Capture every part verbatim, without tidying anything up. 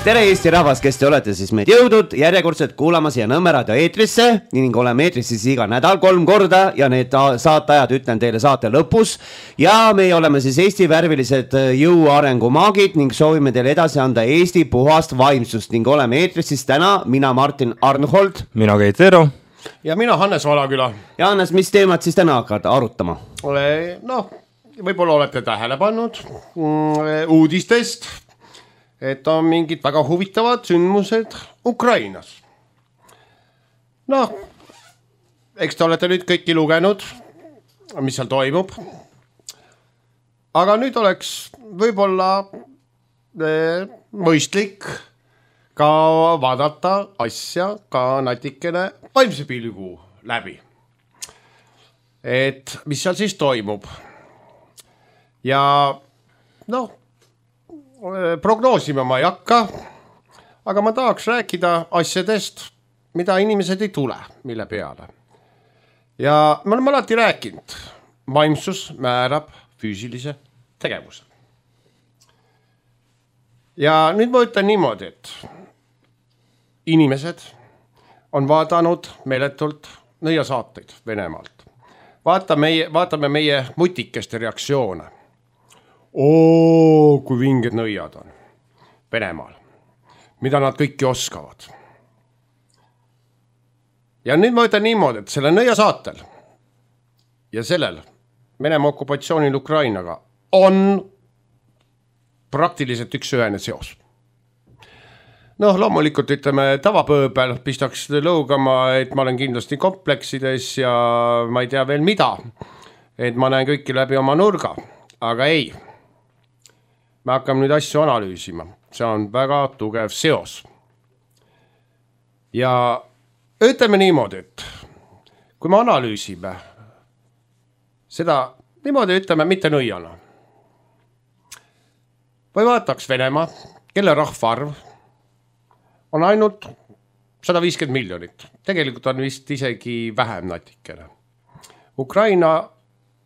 tere Eesti rahvas, kes te olete siis meid jõudnud järjekordselt kuulama siia Nõmme raadio eetrisse ning oleme eetris siis iga nädal kolm korda ja need saateajad ütlen teile saate lõpus ja me oleme siis Eesti värvilised jõuarengu maagid ning soovime teile edasi anda Eesti puhast vaimsust ning oleme eetris siis täna mina Martin Arnhold, mina Keit Eero ja mina Hannes Valaküla. Ja Hannes, mis teemad siis täna hakkad arutama? Noh, võib-olla olete tähele pannud uudistest, et on mingid väga huvitavad sündmused Ukrainas. Noh, eks te olete nüüd kõiki lugenud, mis seal toimub. Aga nüüd oleks võib-olla eh, mõistlik ka vaadata asja ka natikene vaimse pilgu läbi. Et mis seal siis toimub. Ja noh, prognoosima ma ei hakka, aga ma tahaks rääkida asjadest, mida inimesed ei tule, mille peale. Ja me oleme alati rääkinud, vaimsus määrab füüsilise tegevuse. Ja nüüd ma ütlen niimoodi, et inimesed on vaadanud meeletult nõiasaateid Venemaalt. Vaata meie, vaatame meie mutikeste reaktsioone. Oo, kui vinged nõiad on Venemaal, mida nad kõiki oskavad. Ja nüüd ma ütlen niimoodi, et selle nõia saatel ja sellel Venemaa okupatsioonil Ukrainaga on praktiliselt üks ühene seos. Noh, loomulikult ütleme tavapööbel pistaks lõugama, et ma olen kindlasti kompleksides ja ma ei tea veel mida, et ma näen kõiki läbi oma nurga, aga ei. Me hakkame nüüd asju analüüsima. See on väga tugev seos. Ja ütleme niimoodi, et kui me analüüsime seda, niimoodi ütleme mitte nõiana. Või vaataks Venemaa, kelle rahvaarv on ainult sada viiskümmend miljonit. Tegelikult on vist isegi vähem natikene. Ukraina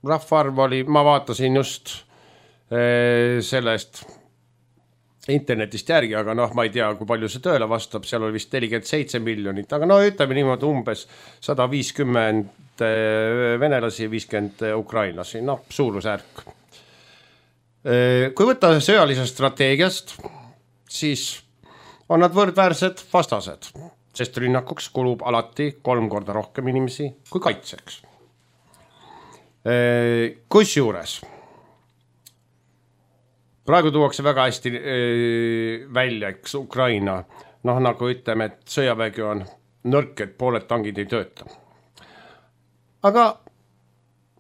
rahvaarv oli, ma vaatasin just sellest internetist järgi, aga noh, ma ei tea, kui palju see tööle vastab, seal oli vist nelikümmend seitse miljonit, aga no ütleme niimoodi umbes sada viiskümmend venelasi ja viiskümmend ukrainlasi, noh, suurusjärk. Kui võtta sõjalisest strateegiast, siis on nad võrdväärsed vastased, sest rünnakuks kulub alati kolm korda rohkem inimesi kui kaitseks. Kus juures? Praegu tuuakse väga hästi välja, eks Ukraina, noh nagu ütleme, et sõjavägi on nõrk, et pooled tangid ei tööta. Aga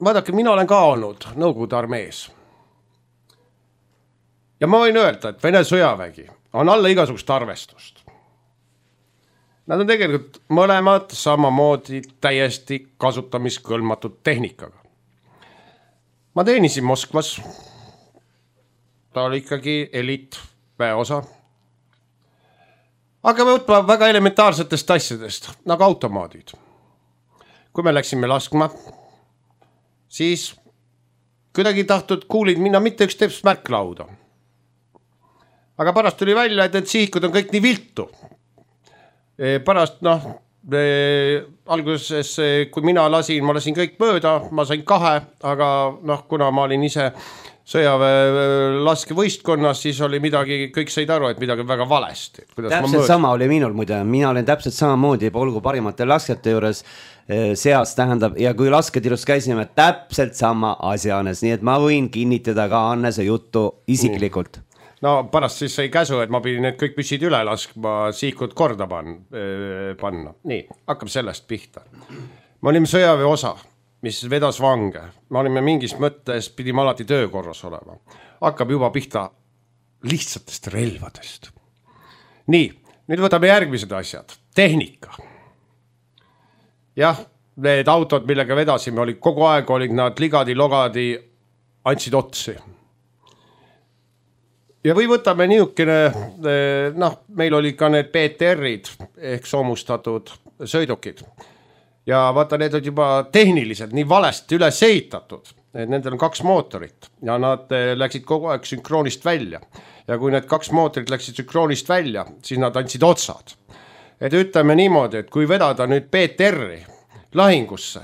vaadake, mina olen ka olnud Nõukogude armees. Ja ma võin öelda, et Vene sõjavägi on alla igasugust arvestust. Nad on tegelikult mõlemad samamoodi täiesti kasutamiskõlmatud tehnikaga. Ma teenisin Moskvas. Ta oli ikkagi eliit väeosa. Aga me võtma väga elementaarsetest asjadest, nagu automaadid. Kui me läksime laskma, siis kuidagi tahtud kuulid minna mitte üks teps märklauda. Aga pärast tuli välja, et need sihikud on kõik nii viltu. Pärast, noh, alguses, kui mina lasin, ma lasin kõik mööda, ma sain kahe, aga noh, kuna ma olin ise sõjaväe laskevõistkonnas, siis oli midagi, kõik said aru, et midagi väga valesti. Täpselt sama oli minul muide, mina olen täpselt samamoodi polgu parimate laskjate juures seas tähendab ja kui lasketirus käisime täpselt sama asjanes, nii et ma võin kinnitada ka Annese juttu isiklikult. No pärast siis sai käsu, et ma pidin need kõik püssid üle laskma, siikud korda panna. Nii, hakkab sellest pihta. Me olime sõjaväe osa, mis vedas vange. Me olime mingis mõttes, pidime alati töökorras olema. Hakkab juba pihta lihtsatest relvadest. Nii, nüüd võtame järgmised asjad. Tehnika. Jah, need autod, millega vedasime, oli kogu aeg olid nad ligadi-logadi, andsid otsi. Ja või võtame niisugune, noh, meil oli ka need P T R-id ehk soomustatud sõidukid. Ja vaata, need on juba tehniliselt nii valesti üles ehitatud, et nendel on kaks mootorit ja nad läksid kogu aeg sünkroonist välja. ja kui need kaks mootorit läksid sünkroonist välja, siis nad andsid otsad. Et ütleme niimoodi, et kui vedada nüüd B T R-i lahingusse,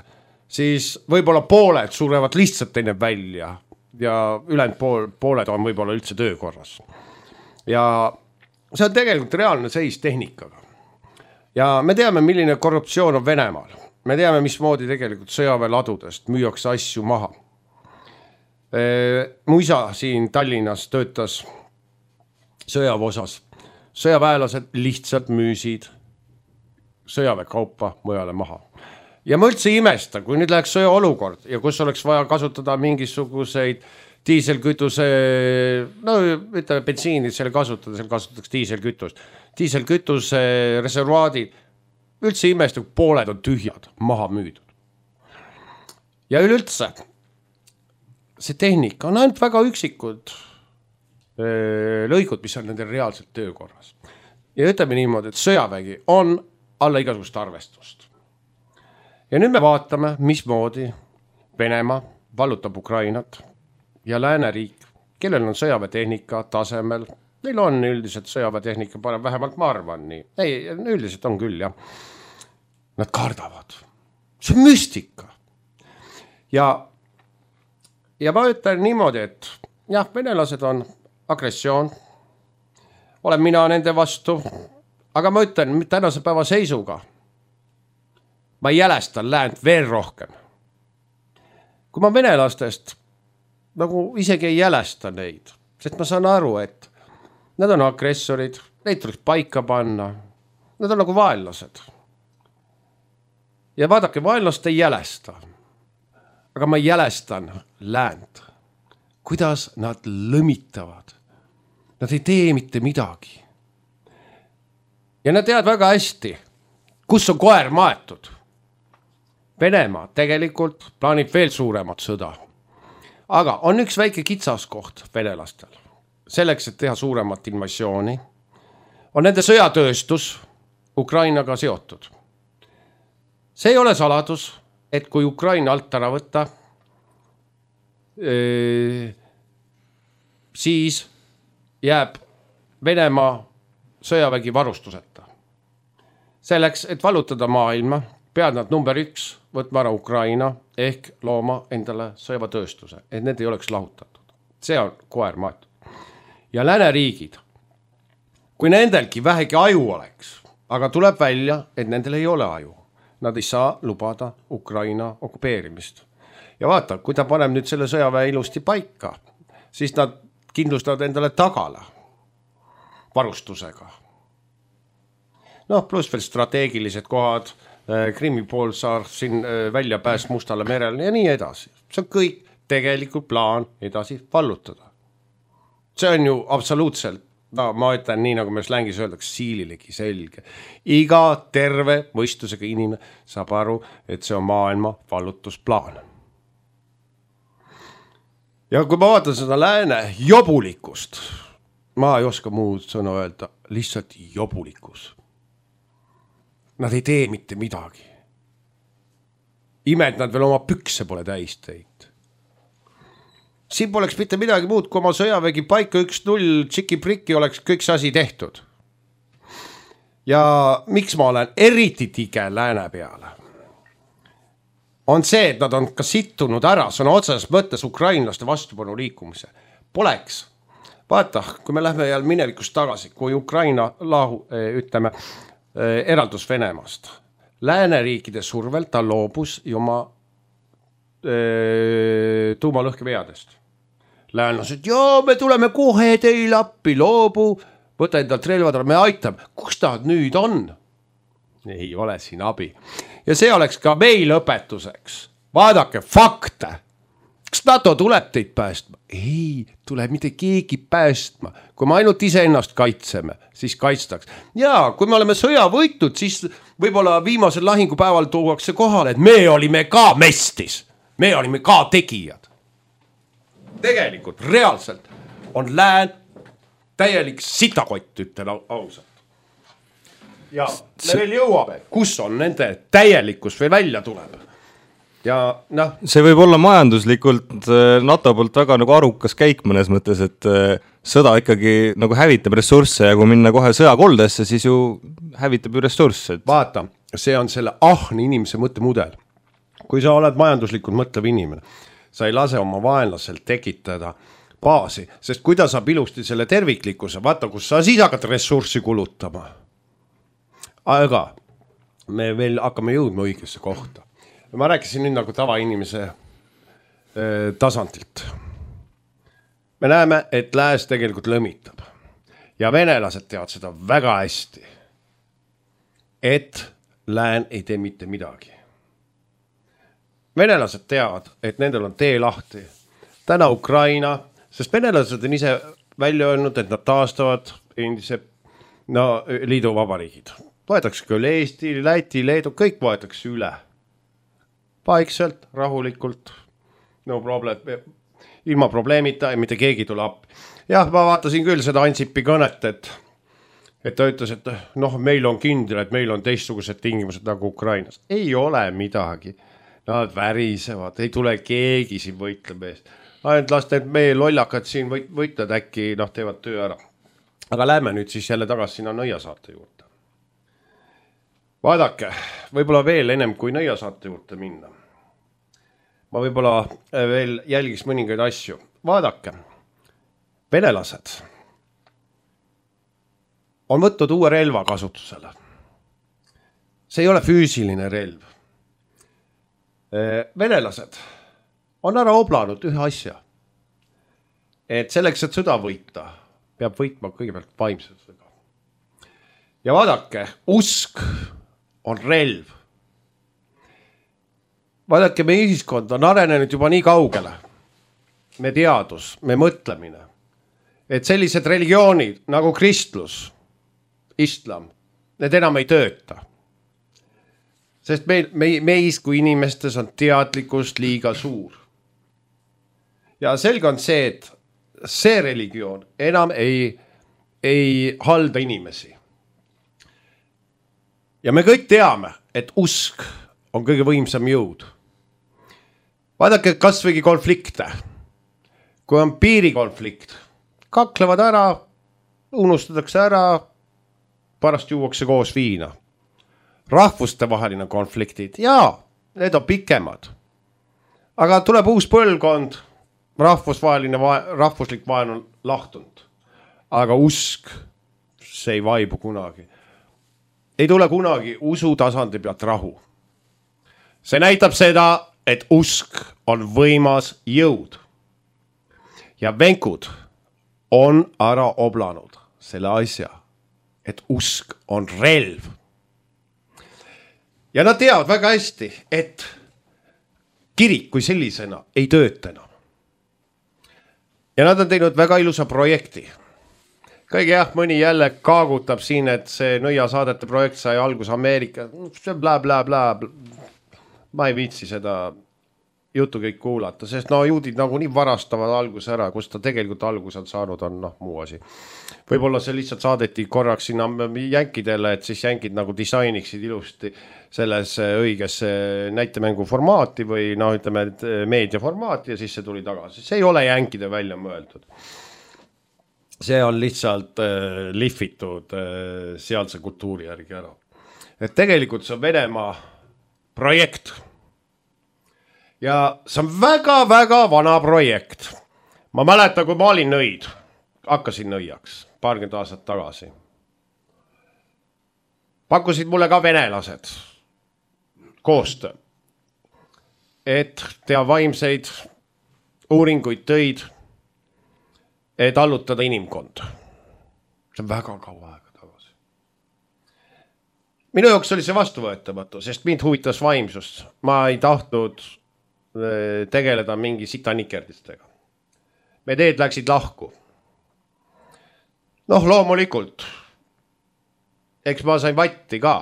siis võib-olla pooled surevad lihtsalt enne välja ja ülejäänud pool, pooled on võib-olla üldse töökorras. Ja see on tegelikult reaalne seis tehnikaga. Ja me teame, milline korruptsioon on Venemaal. Me teame, mismoodi tegelikult sõjaväeladudest müüakse asju maha. Mu isa siin Tallinnas töötas sõjaväeosas. Sõjaväelased lihtsalt müüsid sõjaväekaupa mujale maha. Ja ma üldse imesta, kui nüüd läheks sõjaolukord ja kus oleks vaja kasutada mingisuguseid diiselkütuse, no ütleme bensiinid selle kasutada, seal kasutatakse diiselkütust. Diiselkütuse reservaadid, üldse imesta, kui pooled on tühjad, maha müüdud. Ja üleüldse, see tehnika on ainult väga üksikud lõigud, mis on nendel reaalselt töökorras. Ja ütleme niimoodi, et sõjavägi on alla igasugust arvestust. Ja nüüd me vaatame, mismoodi Venemaa vallutab Ukrainat ja lääneriik, kellel on sõjaväetehnika tasemel. Neil on üldiselt sõjaväetehnika, parem vähemalt ma arvan nii. Ei, üldiselt on küll, jah. Nad kardavad. See on müstika. Ja, ja ma ütlen niimoodi, et jah, venelased on agressioon. Olen mina nende vastu. Aga ma ütlen, tänase päeva seisuga ma jälestan läänt veel rohkem. Kui ma venelastest nagu isegi ei jälesta neid, sest ma saan aru, et nad on agressorid, neid tuleks paika panna, nad on nagu vaenlased. Ja vaadake, vaenlast ei jälesta, aga ma jälestan läänt, kuidas nad lõmitavad. Nad ei tee mitte midagi. Ja nad teavad väga hästi, kus on koer maetud. Venemaa tegelikult plaanib veel suuremat sõda. Aga on üks väike kitsaskoht venelastel. Selleks, et teha suuremat invasiooni, on nende sõjatööstus Ukrainaga seotud. See ei ole saladus, et kui Ukraina alt ära võtta, siis jääb Venemaa sõjavägi varustuseta. Selleks, et vallutada maailma, pead nad number üks võtma ära Ukraina ehk looma endale sõjaväetööstuse, et need ei oleks lahutatud. See on koer maetud. Ja lääneriigid, kui nendelgi vähegi aju oleks, aga tuleb välja, et nendel ei ole aju. Nad ei saa lubada Ukraina okupeerimist. Ja vaata, kui ta paneb nüüd selle sõjaväe ilusti paika, siis nad kindlustavad endale tagala varustusega. Noh, pluss veel strateegilised kohad, Krimmi poolsaar, siin välja pääs Mustale merele ja nii edasi. See on kõik tegelikult plaan edasi vallutada. See on ju absoluutselt, no, ma ütlen nii, nagu me slängis öeldaks, siililegi selge. Iga terve mõistusega inimene saab aru, et see on maailma vallutusplaan. Ja kui ma vaatan seda lääne jobulikkust, ma ei oska muud sõna öelda, lihtsalt jobulikkus. Nad ei tee mitte midagi. Imed nad veel oma pükse pole täis teinud. Siin poleks mitte midagi muud, kui oma sõjavägi paika üks null tšiki-prikki oleks kõik see asi tehtud. Ja miks ma olen eriti tige lääne peale? On see, et nad on ka sittunud ära, see on otseses mõttes ukrainlaste vastupanu liikumise. Poleks. Vaata, kui me lähme jälle minevikust tagasi, kui Ukraina lahu, ütleme, eraldus Venemaast. Lääneriikide survel ta loobus oma e, tuumalõhkeveadest. Läänlased, joo, me tuleme kohe teil appi, loobu, võta endalt relvad, me aitame. Kus ta nüüd on? Ei ole siin abi. Ja see oleks ka meil õpetuseks. Vaadake fakte. Kas NATO tuleb teid päästma? Ei, tuleb mitte keegi päästma. Kui me ainult ise ennast kaitseme, siis kaitstaks. Ja kui me oleme sõja võitud, siis võib-olla viimasel lahingupäeval tuuakse kohale, et me olime ka mestis. Me olime ka tegijad. Tegelikult, reaalselt on lään täielik sitakott, ütlen ausalt. Ja me veel jõuame, kus on nende täielikkus või välja tuleb. ja noh. See võib olla majanduslikult NATO poolt väga nagu arukas käik mõnes mõttes, et sõda ikkagi nagu hävitab ressursse ja kui minna kohe sõjakoldesse, siis ju hävitab ju ressursse. Vaata, see on selle ahni inimese mõttemudel. Kui sa oled majanduslikult mõtlev inimene, sa ei lase oma vaenlasel tekitada baasi, sest kui ta saab ilusti selle terviklikkuse, vaata, kus sa siis hakkad ressurssi kulutama. Aga me veel hakkame jõudma õigesse kohta. Ma rääkisin nüüd nagu tavainimese eh, tasandilt. Me näeme, et lääs tegelikult lõmitab. Ja venelased teavad seda väga hästi, et lään ei tee mitte midagi. Venelased teavad, et nendel on tee lahti. Täna Ukraina, sest venelased on ise välja öelnud, et nad taastavad endise no, liidu vabariigid. Võetakse küll Eesti, Läti, Leedu, kõik võetakse üle. Paikselt, rahulikult, no problem, ilma probleemita ja mitte keegi tule appi. Jah, ma vaatasin küll seda Ansipi kõnet, et, et ta ütles, et noh, meil on kindel, et meil on teistsugused tingimused nagu Ukrainas. Ei ole midagi. Nad värisevad, ei tule keegi siin võitleb eest. Ainult laste, et meie lollakad siin võit, võitled äkki, noh, teevad töö ära. Aga lähme nüüd siis jälle tagasi sinna Nõiasaarte juurde. Vaadake, võib-olla veel ennem kui Nõiasaarte juurde minna. Ma võib-olla veel jälgiks mõningaid asju. Vaadake, venelased on võtnud uue relva kasutusele. See ei ole füüsiline relv. Venelased on ära oblanud ühe asja, et selleks, et sõda võita, peab võitma kõigepealt vaimsusega. Ja vaadake, usk on relv. Vaadake, meie ühiskond on arenenud juba nii kaugele. Me teadus, me mõtlemine, et sellised religioonid nagu kristlus, islam, need enam ei tööta. Sest meil, me, meis kui inimestes on teadlikkust liiga suur. Ja selge on see, et see religioon enam ei, ei halda inimesi. Ja me kõik teame, et usk on kõige võimsam jõud. Vaadake kas võigi konflikte. Kui on piirikonflikt, kaklevad ära, unustatakse ära, pärast juuakse koos viina. Rahvuste vaheline konfliktid, jaa, need on pikemad. Aga tuleb uus põlvkond, rahvusvaheline, rahvuslik vaen on lahtunud. Aga usk, see ei vaibu kunagi. Ei tule kunagi usu tasandi pealt rahu. See näitab seda, et usk on võimas jõud. Ja venkud on ära oblanud selle asja, et usk on relv. Ja nad teavad väga hästi, et kirik kui sellisena ei tööta enam. Ja nad on teinud väga ilusa projekti. Kõige jah, mõni jälle kaagutab siin, et see Nõiasaadete projekt sai algus Ameerika. See bla bla bla. Ma ei viitsi seda juttu kõik kuulata, sest no juudid nagu nii varastavad algus ära, kus ta tegelikult algus on saanud, on noh, muu asi. Võib-olla see lihtsalt saadeti korraks sinna jänkidele, et siis jänkid nagu disainiksid ilusti selles õiges näitemängu formaati või no ütleme meedia formaati ja siis see tuli tagasi. See ei ole jänkide välja mõeldud. See on lihtsalt äh, lihvitud äh, sealse kultuuri järgi ära. Et tegelikult see on Venemaa projekt. Ja see on väga-väga vana projekt. Ma mäletan, kui ma olin nõid, hakkasin nõiaks paarkümmend aastat tagasi. Pakkusid mulle ka venelased koostöö, et teha vaimseid uuringuid tõid, et allutada inimkond. See on väga kaua aega tagasi. Minu jaoks oli see vastuvõetamatu, sest mind huvitas vaimsust. Ma ei tahtnud tegeleda mingi sitanikerdistega. Me teed läksid lahku. Noh, loomulikult. Eks ma sain vatti ka.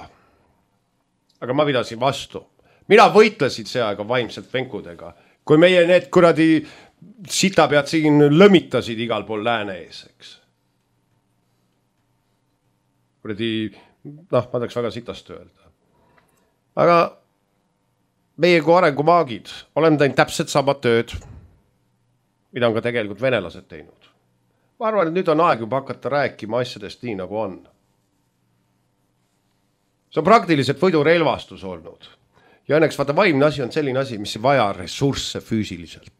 Aga ma pidasin vastu. Mina võitlesin see aega vaimselt venkudega. Kui meie need kuradi sitapead siin lõmitasid igal pool lääne ees, eks. Kuradi, noh, ma tahaks väga sitast öelda. Aga meie kui arengumaagid oleme teinud täpselt sama tööd, mida on ka tegelikult venelased teinud. Ma arvan, et nüüd on aeg juba hakata rääkima asjadest nii, nagu on. See on praktiliselt võidurelvastus olnud. Ja õnneks vaata, vaimne asi on selline asi, mis ei vaja ressursse füüsiliselt.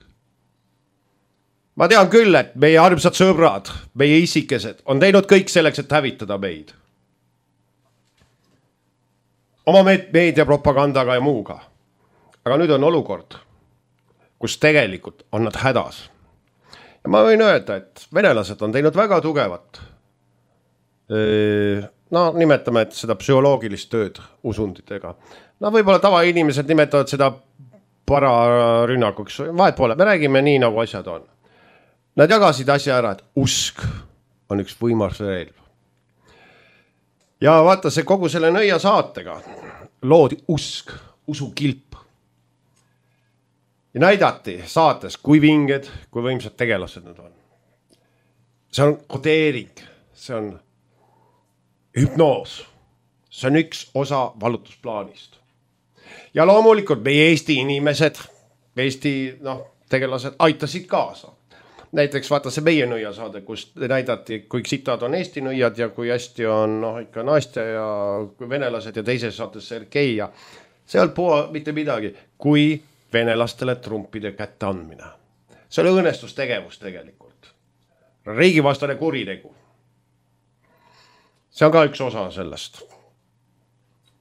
Ma tean küll, et meie armsad sõbrad, meie isikesed on teinud kõik selleks, et hävitada meid. Oma meediapropagandaga ja muuga. Aga nüüd on olukord, kus tegelikult on nad hädas. Ja ma võin öelda, et venelased on teinud väga tugevat. No nimetame, et seda psühholoogilist tööd usunditega. No võib-olla tavainimesed nimetavad seda pararünnakuks. Vahet pole, me räägime nii, nagu asjad on. Nad jagasid asja ära, et usk on üks võimas relv. Ja vaata, see kogu selle nõia saatega loodi usk, usukilp. Ja näidati saates, kui vinged, kui võimsad tegelased nad on. See on kodeering, see on hüpnoos. See on üks osa valutusplaanist. Ja loomulikult meie Eesti inimesed, Eesti no, tegelased aitasid kaasa. Näiteks vaata see meie nõiasaade, kus näidati, kui sitad on Eesti nõiad ja kui hästi on no, ikka Nastja ja venelased ja teises saates Sergei ja seal puha mitte midagi, kui venelastele trumpide kätte andmine. See oli õõnestustegevus tegelikult. Riigivastane kuritegu. See on ka üks osa sellest.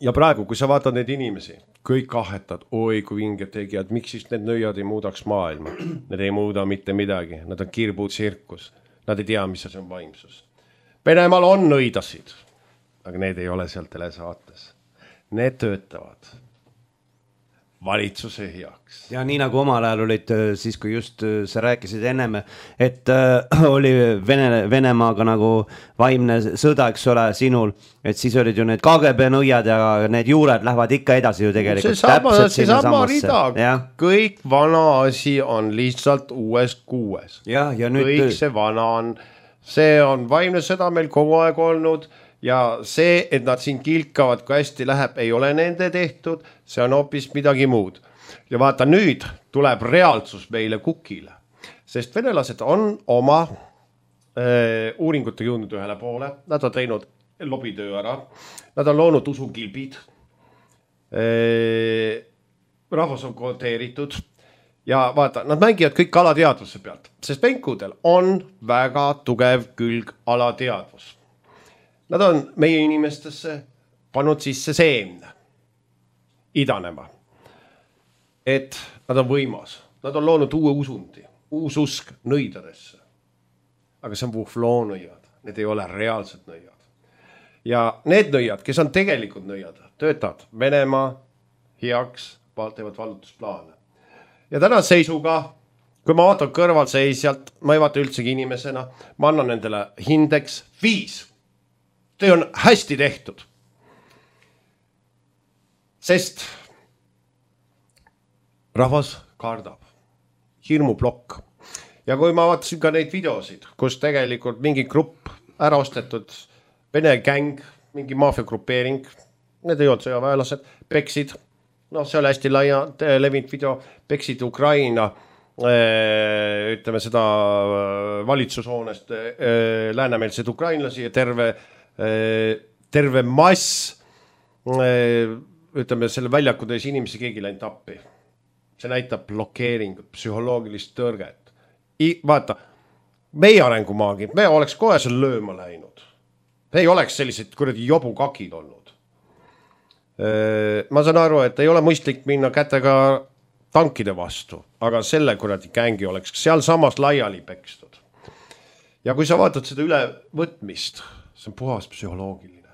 Ja praegu, kui sa vaatad neid inimesi, kõik ahetad, oi kui vinged tegijad, miks siis need nõiad ei muudaks maailma? Need ei muuda mitte midagi, nad on kirbud tsirkus, nad ei tea, mis see on vaimsus. Venemaal on nõidasid, aga need ei ole seal telesaates. Need töötavad valitsuse heaks. Ja nii nagu omal ajal olid siis, kui just sa rääkisid ennem, et äh, oli Vene, Venemaaga nagu vaimne sõda, eks ole, sinul, et siis olid ju need K G B nõiad ja need juured lähevad ikka edasi ju tegelikult. See sama, see sama rida, ja. Kõik vana asi on lihtsalt uues kuues. Ja, ja nüüd... Kõik see vana on, see on vaimne sõda meil kogu aeg olnud. Ja see, et nad siin kilkavad, kui hästi läheb, ei ole nende tehtud, see on hoopis midagi muud. Ja vaata, nüüd tuleb reaalsus meile kukile, sest venelased on oma äh, uuringute jõudnud ühele poole, nad on teinud lobitöö ära, nad on loonud usukilbid, äh, rahvas on kodeeritud ja vaata, nad mängivad kõik alateadvuse pealt, sest venkudel on väga tugev külg alateadvus. Nad on meie inimestesse pannud sisse seemne idanema. Et nad on võimas. Nad on loonud uue usundi, uus usk nõidadesse. Aga see on vuhvloonõiad. Need ei ole reaalsed nõiad. Ja need nõiad, kes on tegelikult nõiad, töötavad Venemaa heaks, teevad vallutusplaane. Ja täna seisuga, kui ma vaatan kõrvalseisjalt, ma ei vaata üldsegi inimesena, ma annan nendele hindeks viis. See on hästi tehtud. Sest rahvas kardab. Hirmuplokk. Ja kui ma vaatasin ka neid videosid, kus tegelikult mingi grupp ära ostetud Vene gäng, mingi maafiagrupeering, need ei olnud sõjaväelased, peksid, no see oli hästi laia levinud video, peksid Ukraina, ütleme seda valitsushoonest läänemeelseid ukrainlasi ja terve terve mass ütleme selle väljakudes inimesi keegi läinud appi. See näitab blokeeringut, psühholoogilist tõrget. I, vaata, meie arengumaagid, me oleks kohe seal lööma läinud. Me ei oleks sellised kuradi jobukakid olnud. Ma saan aru, et ei ole mõistlik minna kätega tankide vastu, aga selle kuradi gängi oleks seal samas laiali pekstud. Ja kui sa vaatad seda ülevõtmist, see on puhas psühholoogiline.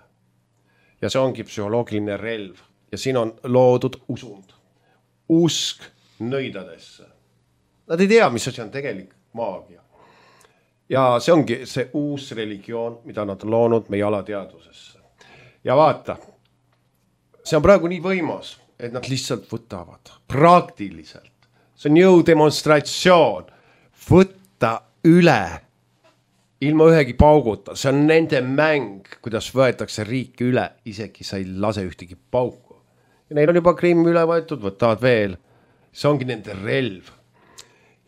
Ja see ongi psühholoogiline relv. Ja siin on loodud usund. Usk nõidadesse. Nad ei tea, mis asi on tegelik maagia. Ja see ongi see uus religioon, mida nad on loonud meie alateadvusesse. Ja vaata, see on praegu nii võimas, et nad lihtsalt võtavad praktiliselt. See on jõudemonstratsioon. Võtta üle ilma ühegi pauguta, see on nende mäng, kuidas võetakse riiki üle, isegi sa ei lase ühtegi pauku. ja neil on juba Krimm üle võetud, võtavad veel. See ongi nende relv.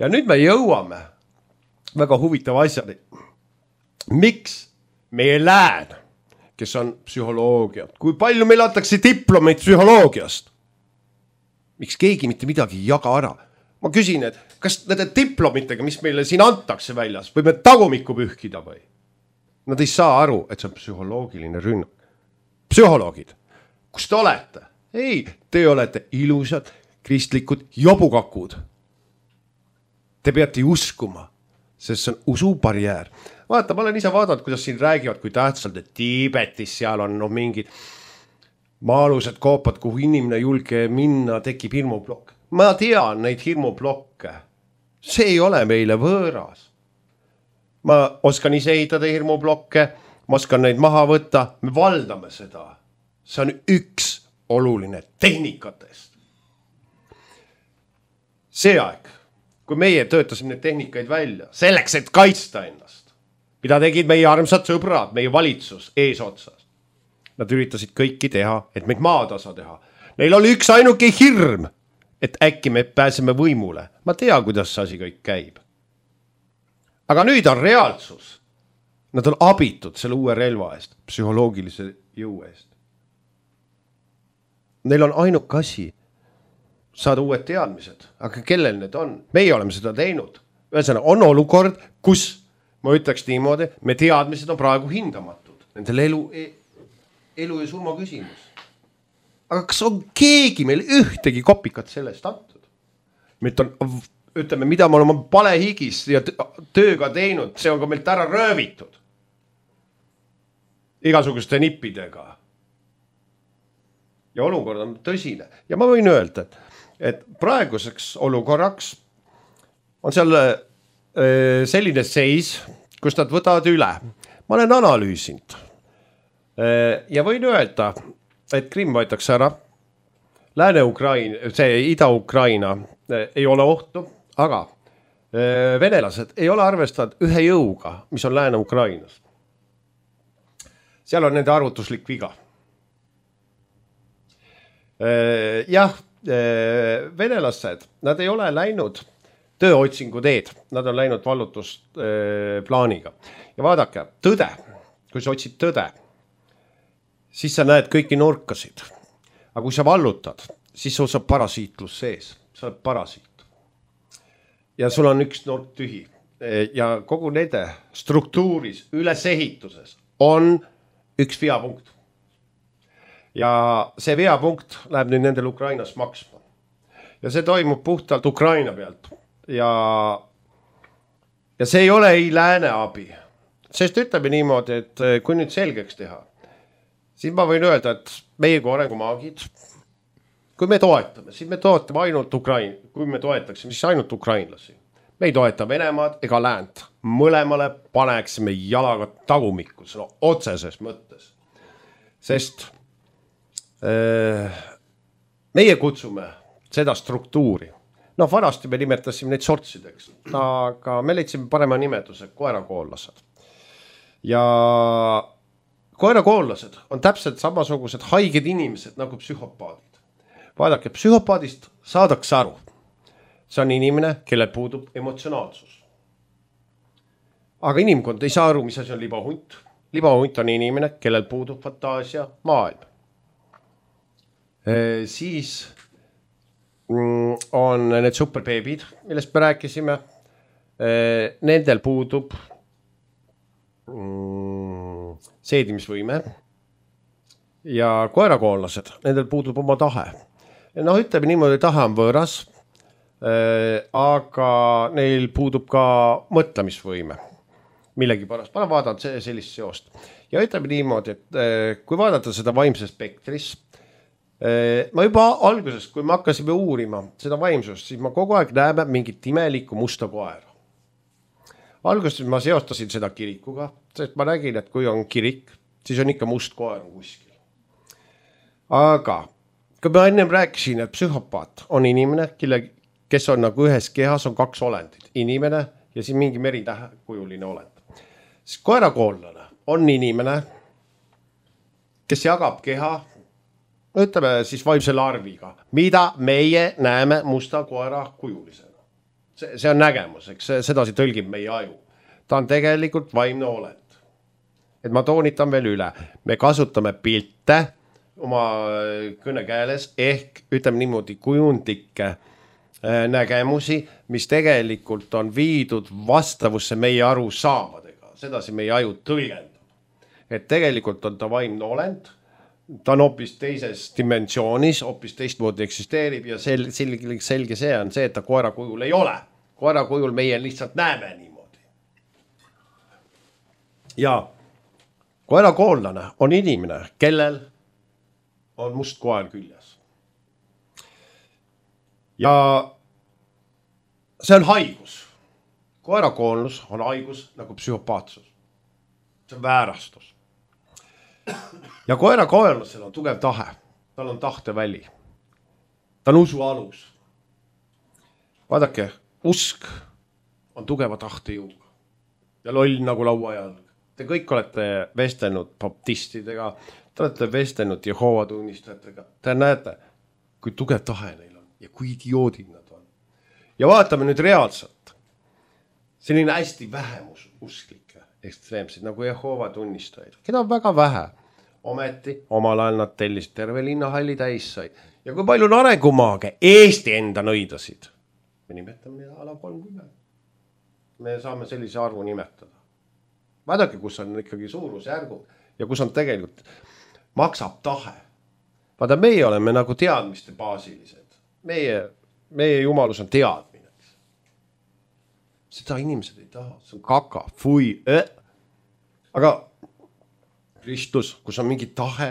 Ja nüüd me jõuame väga huvitava asjani. Miks meie lään, kes on psühholoogia, kui palju meil antakse diplomeid psühholoogiast? Miks keegi mitte midagi ei jaga ära? Ma küsin, et kas nende diplomitega, mis meile siin antakse väljas, võime tagumikku pühkida või? Nad ei saa aru, et see on psühholoogiline rünnak. Psühholoogid, kus te olete? Ei, te olete ilusad, kristlikud jobukakud. Te peate uskuma, sest see on usubarjäär. Vaata, ma olen ise vaadanud, kuidas siin räägivad, kui tähtsalt, et Tiibetis seal on no, mingid maalused koopad, kuhu inimene julge minna, tekib hirmublokk. Ma tean neid hirmublokke. See ei ole meile võõras. Ma oskan ise ehitada hirmublokke, ma oskan neid maha võtta, me valdame seda. See on üks oluline tehnikatest. See aeg, kui meie töötasime neid tehnikaid välja, selleks, et kaitsta ennast, mida tegid meie armsad sõbrad, meie valitsus eesotsas. Nad üritasid kõiki teha, et meid maatasa teha. Neil oli üks ainuke hirm, et äkki me pääseme võimule. Ma tea, kuidas see asi kõik käib. Aga nüüd on reaalsus. Nad on abitud selle uue relva eest, psühholoogilise jõu eest. Neil on ainuk asi saada uued teadmised, aga kellel need on? Meie oleme seda teinud. Ühesõnaga, on olukord, kus, ma ütleks niimoodi, me teadmised on praegu hindamatud. Nendel elu, elu ja surma küsimus. Aga kas on keegi meil ühtegi kopikat sellest antud? Meilt on, ütleme, mida me oleme palehigis ja tööga teinud, see on ka meilt ära röövitud. Igasuguste nippidega. Ja olukord on tõsine. Ja ma võin öelda, et, et praeguseks olukorraks on seal selline seis, kus nad võtavad üle. Ma olen analüüsinud. Ja võin öelda, et Krimm võetakse ära. Lääne-Ukraina, see Ida-Ukraina ei ole ohtu, aga venelased ei ole arvestanud ühe jõuga, mis on Lääne-Ukrainas. Seal on nende arvutuslik viga. Jah, venelased, nad ei ole läinud tööotsingu teed, nad on läinud vallutusplaaniga. Ja vaadake, tõde, kui sa otsid tõde, siis sa näed kõiki nurkasid. Aga kui sa vallutad, siis sul saab parasiitlus sees. Sa oled parasiit. Ja sul on üks nurk tühi. Ja kogu nende struktuuris, ülesehituses on üks veapunkt. Ja see veapunkt läheb nüüd nendel Ukrainas maksma. Ja see toimub puhtalt Ukraina pealt. Ja, ja see ei ole ei lääne abi. Sest ütleme niimoodi, et kui nüüd selgeks teha, siis ma võin öelda, et meie kui arengumaagid, kui me toetame, siis me toetame ainult Ukraina, kui me toetaksime, siis ainult ukrainlasi. Me ei toeta Venemaad ega läänt. Mõlemale paneksime jalaga tagumikku, no, otseses mõttes. Sest äh, meie kutsume seda struktuuri. No vanasti me nimetasime neid sortsideks, aga me leidsime parema nimetuse koerakoollased. Ja koerakoollased on täpselt samasugused haiged inimesed nagu psühhopaadid. Vaadake, psühhopaadist saadakse aru. See on inimene, kellel puudub emotsionaalsus. Aga inimkond ei saa aru, mis asi on libahunt. Libahunt on inimene, kellel puudub fantaasia maailm. E, siis on need superbeebid, millest me rääkisime. E, nendel puudub seedimisvõime ja koerakoollased, nendel puudub oma tahe. No ütleme niimoodi, tahe on võõras, aga neil puudub ka mõtlemisvõime millegi pärast. Ma olen vaadanud sellist seost. Ja ütleme niimoodi, et kui vaadata seda vaimse spektris, ma juba alguses, kui me hakkasime uurima seda vaimsust, siis ma kogu aeg näeme mingit imelikku musta koera. Alguses ma seostasin seda kirikuga, sest ma nägin, et kui on kirik, siis on ikka must koer kuskil. Aga kui ma ennem rääkisin, et psühhopaat on inimene, kelle, kes on nagu ühes kehas on kaks olendit. Inimene ja siin mingi meritähekujuline olend. Siis koerakoollane on inimene, kes jagab keha ütleme siis vaimse larviga, mida meie näeme musta koera kujulisena. See, see on nägemus, eks sedasi tõlgib meie aju. Ta on tegelikult vaimne olend. Et ma toonitan veel üle, me kasutame pilte oma kõnekeeles ehk ütleme niimoodi kujundlikke nägemusi, mis tegelikult on viidud vastavusse meie arusaamadega. Sedasi meie aju tõlgendab. Et tegelikult on ta vaimne olend, ta on hoopis teises dimensioonis, hoopis teistmoodi eksisteerib ja sel, selge, selge see on see, et ta koera kujul ei ole. Koera kujul meie lihtsalt näeme niimoodi. Ja koerakoonlane on inimene, kellel on must koer küljes. Ja see on haigus. Koerakoonlus on haigus nagu psühhopaatsus. See on väärastus. Ja koerakoonlasel on tugev tahe. Tal on tahteväli. Ta on usu alus. Vaadake, usk on tugeva tahtejõuga. Ja loll nagu lauajalg. Te kõik olete vestelnud baptistidega, te olete vestelnud Jehoova tunnistajatega. Te näete, kui tugev tahe neil on ja kui idioodid nad on. Ja vaatame nüüd reaalselt. Selline hästi vähemus usklikke, ekstreemseid nagu Jehoova tunnistajaid, keda on väga vähe. Ometi omal ajal nad tellisid terve linnahalli täis sai. Ja kui palju on arengumaage Eesti enda nõidasid? Me nimetame ala kolmkümmend. Me saame sellise arvu nimetada. Vaadake, kus on ikkagi suurusjärgud ja kus on tegelikult maksab tahe. Vaada, meie oleme nagu teadmiste baasilised. Meie, meie jumalus on teadmine. Seda inimesed ei taha, see on kaka, fui, äh. Aga Kristus, kus on mingi tahe,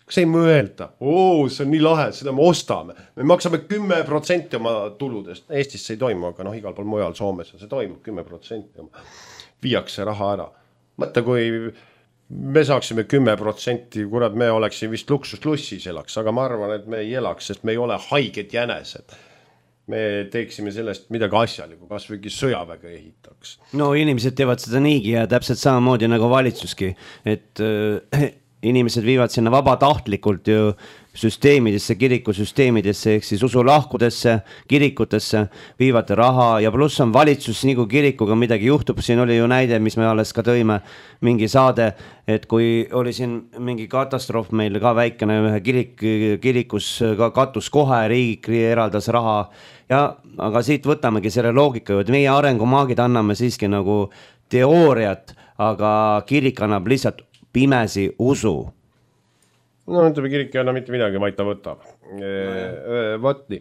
kas ei mõelda, oo, see on nii lahe, seda me ostame. Me maksame kümme protsenti oma tuludest. Eestis see ei toimu, aga noh, igal pool mujal Soomes see toimub kümme protsenti oma. Viiakse raha ära. Mõtta, kui me saaksime kümme protsenti, kurat, me oleksime vist luksuslussis elaks, aga ma arvan, et me ei elaks, sest me ei ole haiged jänesed. Me teeksime sellest midagi asjalikku, kas võigi sõjaväge ehitaks. No inimesed teevad seda niigi ja täpselt samamoodi nagu valitsuski, et äh, inimesed viivad sinna vabatahtlikult ju süsteemidesse, kirikusüsteemidesse, ehk siis usulahkudesse, kirikutesse, viivad raha ja pluss on valitsus, nii kui kirikuga midagi juhtub, siin oli ju näide, mis me alles ka tõime, mingi saade, et kui oli siin mingi katastroof meil ka väikene ühe kirik, kirikus ka katus kohe, riik eraldas raha, ja, aga siit võtamegi selle loogika ju, et meie arengumaagid anname siiski nagu teooriat, aga kirik annab lihtsalt pimesi usu. No ütleme, kirik ei anna mitte midagi, vaid ta võtab. Võtni.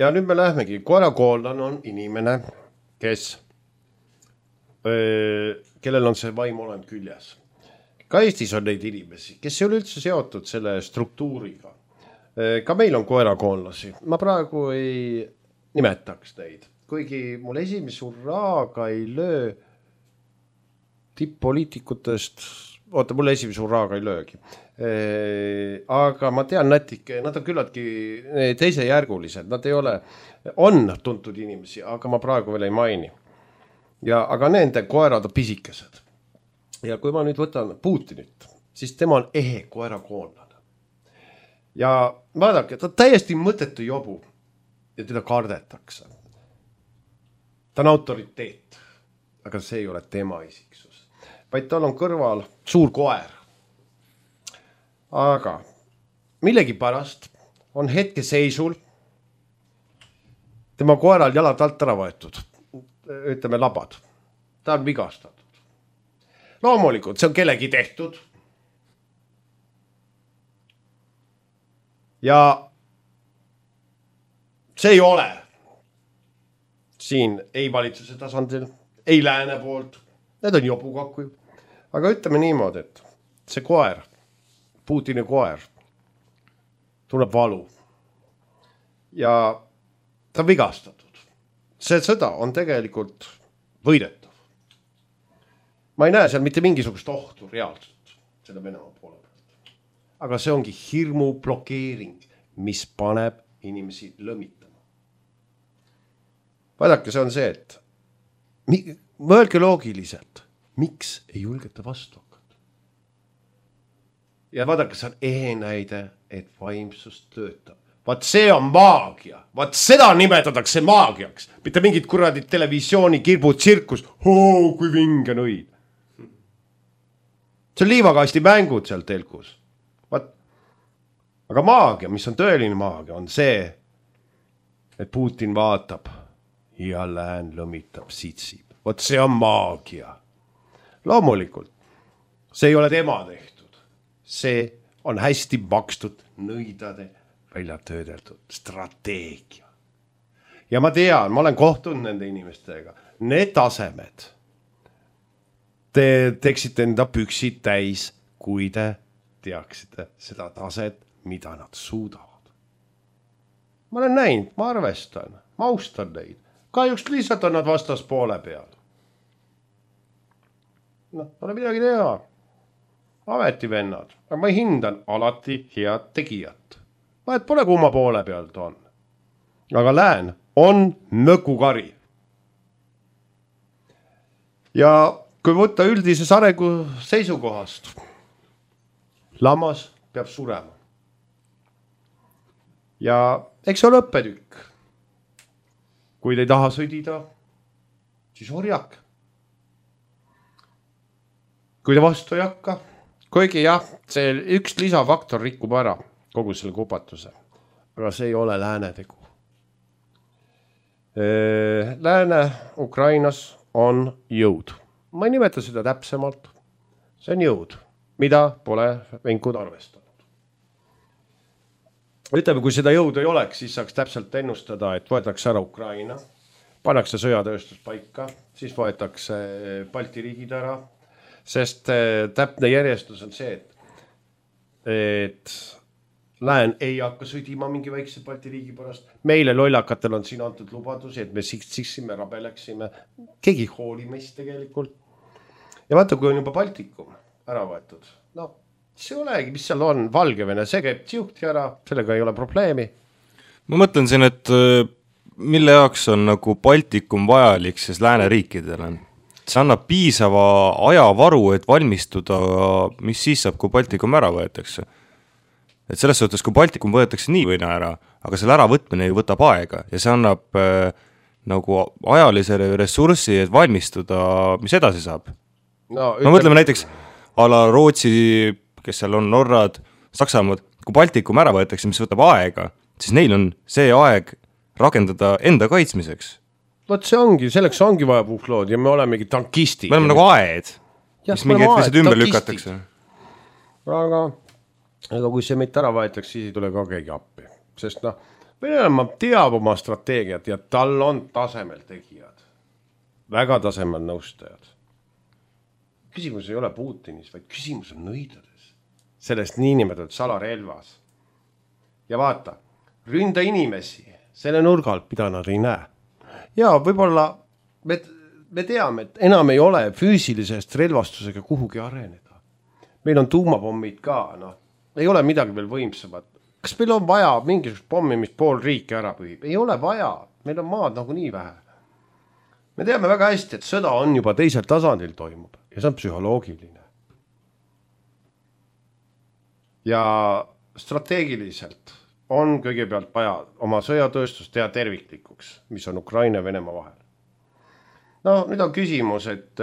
Ja nüüd me lähmegi. Koerakoonlane on inimene, kes, kellel on see vaim olend küljes. Ka Eestis on neid inimesi, kes ei ole üldse seotud selle struktuuriga. Ka meil on koerakoonlasi. Ma praegu ei nimetaks neid. Kuigi mul esimese urraaga ei löö tipp-poliitikutest, oota, mul esimese urraaga ei löögi. Aga ma tean nätike, nad on küllaltki teisejärgulised, nad ei ole, on tuntud inimesi, aga ma praegu veel ei maini. Ja, aga nende koerad on pisikesed. Ja kui ma nüüd võtan Putinit, siis tema on ehe koerakoonlane. Ja vaadake, ta on täiesti mõttetu jobu ja teda kardetakse. Ta on autoriteet, aga see ei ole tema isiksus. Vaid tal on kõrval suur koer. Aga millegi pärast on hetke seisul tema koeral jalad alt ära võetud, ütleme labad. Ta on vigastatud. Loomulikult, see on kellegi tehtud. Ja see ei ole siin ei valitsuse tasandil, ei lääne poolt. Need on jobukakku. Aga ütleme niimoodi, et see koer, Putini koer, tunneb valu ja ta on vigastatud. See sõda on tegelikult võidetav. Ma ei näe seal mitte mingisugust ohtu reaalselt selle Venemaa poole pealt. Aga see ongi hirmu blokeering, mis paneb inimesi lõmitama. Vaadake, see on see, et mõelge loogiliselt, miks ei julgeta vastu hakata? ja vaadake, see on ehe näide, et vaimsus töötab. Vaat see on maagia, vaat seda nimetatakse maagiaks, mitte mingid kuradid televisiooni kirbud tsirkus, hoo kui vinge nõid. See on liivakasti mängud seal telkus. Vaat, aga maagia, mis on tõeline maagia, on see, et Putin vaatab ja lään lõmitab, sitsib. Vaat see on maagia. Loomulikult, see ei ole tema tehtud. See on hästi makstud nõidade välja töödeldud strateegia. Ja ma tean, ma olen kohtunud nende inimestega. Need tasemed, te teeksite enda püksid täis, kui te teaksite seda taset, mida nad suudavad. Ma olen näinud, ma arvestan, ma austan neid. Kahjuks lihtsalt on nad vastas poole peal. Noh, pole midagi teha. Ametivennad, aga ma hindan alati head tegijat. Vahet pole kumma poole pealt on. Aga lään on nõkukari. Ja kui võtta üldises arengu seisukohast, lammas peab surema. Ja eks on õppetükk. Kui te ei taha sõdida, siis orjak. Kui te vastu ei hakka, kuigi jah, see üks lisafaktor rikub ära kogu selle kupatuse. Aga see ei ole lääne tegu. Lääne Ukrainas on jõud. Ma ei nimeta seda täpsemalt. See on jõud, mida pole venkud arvestanud. Ütleme, kui seda jõudu ei oleks, siis saaks täpselt ennustada, et võetakse ära Ukraina, pannakse sõjatööstus paika, siis võetakse Balti riigid ära, sest täpne järjestus on see, et, et lään ei hakka sõdima mingi väikse Balti riigi pärast. Meile lollakatel on siin antud lubadusi, et me siksime, rabeleksime. Keegi hooli meist tegelikult. Ja vaata, kui on juba Baltikum ära võetud. No, see olegi, mis seal on, Valgevene, see käib tjuhti ära, sellega ei ole probleemi. Ma mõtlen siin, et mille jaoks on nagu Baltikum vajalik siis lääneriikidele? See annab piisava ajavaru, et valmistuda, mis siis saab, kui Baltikum ära võetakse. Et selles suhtes, kui Baltikum võetakse nii võina ära, aga selle äravõtmine ju võtab aega ja see annab äh, nagu ajalise ressurssi, et valmistuda, mis edasi saab. No, no mõtleme näiteks ala Rootsi, kes seal on Norrad, Saksamaad, kui Baltikum ära võetakse, mis võtab aega, siis neil on see aeg rakendada enda kaitsmiseks. Vot see ongi, selleks ongi vaja puhlood ja me olemegi tankistid. Me oleme nagu aed, ja, mis mingi hetk ümber lükatakse. Aga, aga kui see meid ära võetakse, siis ei tule ka keegi appi. Sest noh, Venemaa teab oma strateegiat ja tal on tasemel tegijad. Väga tasemel nõustajad. Küsimus ei ole Putinis, vaid küsimus on nõidades. Sellest niinimetatud salarelvas. Ja vaata, ründa inimesi selle nurgal, mida nad ei näe. Ja võib-olla me, me teame, et enam ei ole füüsilisest relvastusega kuhugi areneda. Meil on tuumapommid ka, noh, ei ole midagi veel võimsamat. Kas meil on vaja mingisugust pommi, mis pool riiki ära pühib? Ei ole vaja, meil on maad nagu nii vähe. Me teame väga hästi, et sõda on juba teisel tasandil toimub ja see on psühholoogiline. Ja strateegiliselt on kõigepealt vaja oma sõjatööstust teha terviklikuks, mis on Ukraina ja Venemaa vahel. No nüüd on küsimus, et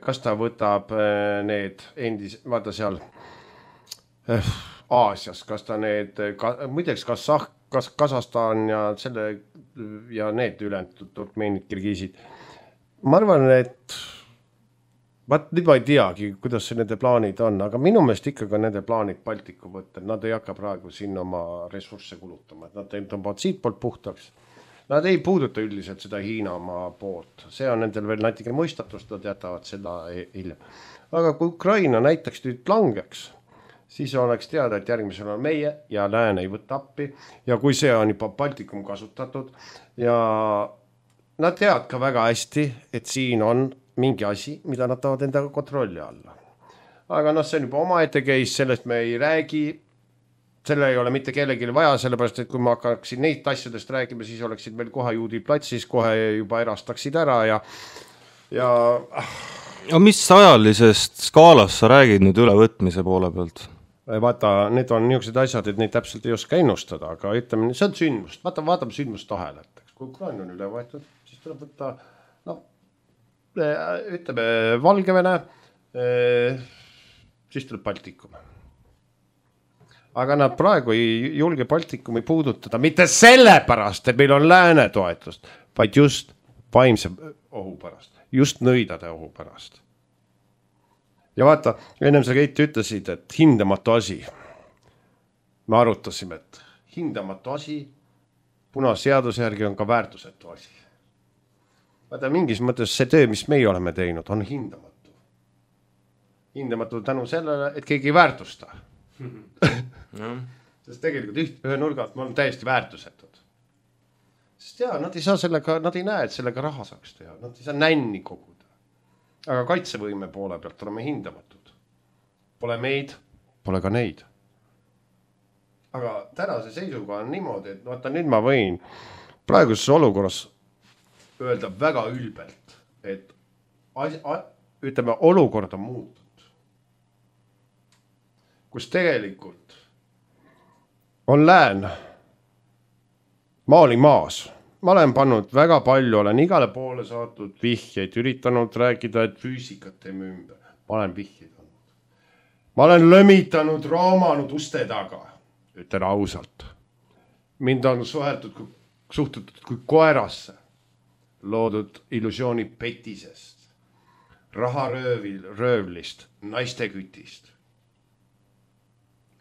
kas ta võtab need endis, vaata seal Aasias, kas ta need, muideks kas, kas Kasahstan ja, selle, ja need ülendatud turkmeenid, kirgiisid. Ma arvan, et vaat nüüd ma ei teagi, kuidas see nende plaanid on, aga minu meelest ikkagi nende plaanid Baltiku võtta, nad ei hakka praegu siin oma ressursse kulutama, et nad tõmbavad siit poolt puhtaks. Nad ei puuduta üldiselt seda Hiinamaa poolt, see on nendel veel natuke mõistatust, nad jätavad seda hiljem. Aga kui Ukraina näiteks nüüd langeks, siis oleks teada, et järgmisel on meie ja lään ei võtta appi ja kui see on juba Baltikum kasutatud ja nad teavad ka väga hästi, et siin on mingi asi, mida nad tahavad endaga kontrolli alla. Aga noh, see on juba oma ette case, sellest me ei räägi, selle ei ole mitte kellelegi vaja, sellepärast, et kui ma hakkaksin neid asjadest räägima, siis oleksid meil kohe juudi platsis, kohe juba erastaksid ära ja... ja... ja mis ajalisest skaalast sa räägid nüüd ülevõtmise poole pealt? vaata, need on niisugused asjad, et neid täpselt ei oska ennustada, aga ütleme, see on sündmust, vaata, vaatame sündmust ahelat. Kui Ukraina on üle võetud, siis tuleb võtta, no, ütleme, Valgevene, siis tuleb Baltikum. Aga nad praegu ei julge Baltikumi puudutada, mitte selle pärast, et meil on lääne toetust, vaid just vaimse ohu pärast, just nõidade ohu pärast. Ja vaata, ennem sa Keit ütlesid, et hindamatu asi. Me arutasime, et hindamatu asi, punaseaduse järgi on ka väärtusetu asi. Vaata, mingis mõttes see töö, mis meie oleme teinud, on hindamatu. Hindamatu tänu sellele, et keegi ei väärtusta. Sest tegelikult üht, ühe nurgalt me oleme täiesti väärtusetud. Sest jaa, nad ei saa sellega, nad ei näe, et sellega raha saaks teha. Nad ei saa nänni koguda. Aga kaitsevõime poole pealt oleme hindamatud. Pole meid, pole ka neid. Aga tänase seisuga on niimoodi, et vaata, nüüd ma võin praeguses olukorras öelda väga ülbelt, et as, a, ütleme, olukord on muutunud. Kus tegelikult on lään maali maas. Ma olen pannud väga palju, olen igale poole saatnud vihjeid, üritanud rääkida, et füüsikat teeme ümber. Ma olen vihjeid andnud. Ma olen lömitanud, raamanud uste taga, ütlen ausalt. Mind on suheltud, suhtutud kui koerasse, loodud illusiooni petisest, raharöövil, röövlist, naiste kütist.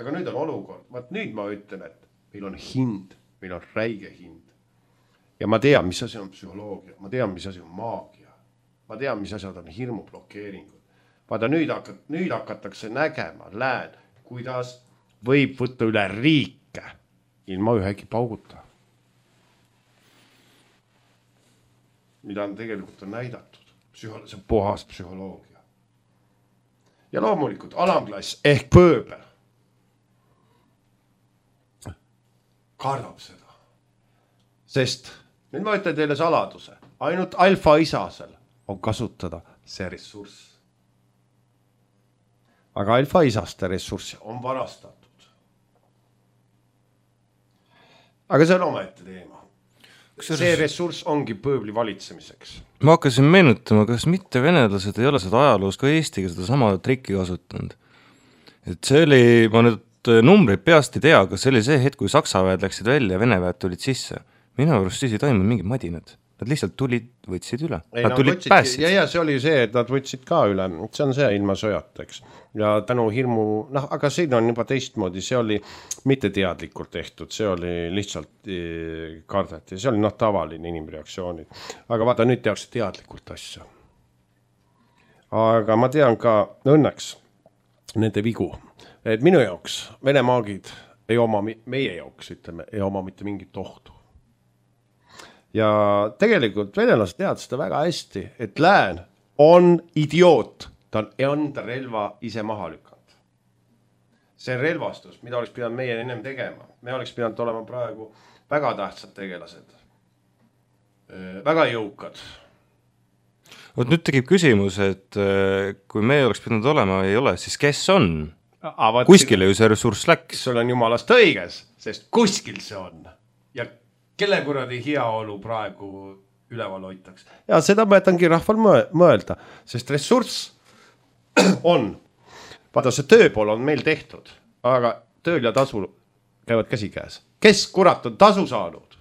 Aga nüüd on olukord, vaat nüüd ma ütlen, et meil on hind, meil on räige hind. Ja ma tean, mis asi on psühholoogia, ma tean, mis asi on maagia, ma tean, mis asjad on hirmu blokeeringud. Vaata, nüüd, hakat, nüüd hakatakse nägema lään, kuidas võib võtta üle riike ilma ühegi pauguta. Mida on tegelikult on näidatud. Psühho, see on puhas psühholoogia. Ja loomulikult alamklass ehk pööbel kardab seda. Sest nüüd ma ütlen teile saladuse. Ainult alfa isasel on kasutada see ressurss. Aga alfa isaste ressurssi on varastatud. Aga see on omaette teema. See ressurss ongi pööbli valitsemiseks. Ma hakkasin meenutama, kas mitte venelased ei ole seda ajaloos ka Eestiga seda sama trikki kasutanud. Et see oli, ma nüüd numbreid peast ei tea, aga see oli see hetk, kui Saksa väed läksid välja ja Vene väed tulid sisse. Minu arust siis ei toimunud mingid madinad. Nad lihtsalt tulid, võtsid üle. Ei, nad nad tulid võtsid, päästsid. Ja, ja see oli see, et nad võtsid ka üle. See on see ilma sõjateks. Ja tänu hirmu, noh, aga siin on juba teistmoodi. See oli mitte teadlikult tehtud. See oli lihtsalt kardeti. See oli noh, tavaline inimreaktsioonid. Aga vaata, nüüd tehakse teadlikult asja. Aga ma tean ka õnneks nende vigu. Et minu jaoks Vene maagid ei oma, meie jaoks, ütleme, ei oma mitte mingit ohtu. Ja tegelikult venelased teavad seda väga hästi, et lään on idioot, ta on enda relva ise maha lükanud. See relvastus, mida oleks pidanud meie ennem tegema, me oleks pidanud olema praegu väga tähtsad tegelased, väga jõukad. Oot, nüüd tegib küsimus, et kui me oleks pidanud olema ei ole, siis kes on? Vaat, kuskile ju see ressurss läks. Sul on jumalast õiges, sest kuskil see on. Ja kelle kuradi heaolu praegu üleval hoitaks. Ja seda mõetangi rahval mõelda, sest ressurss on. Vaata, see tööpool on meil tehtud, aga tööl ja tasu käivad käsikäes. Kes kurat on tasu saanud?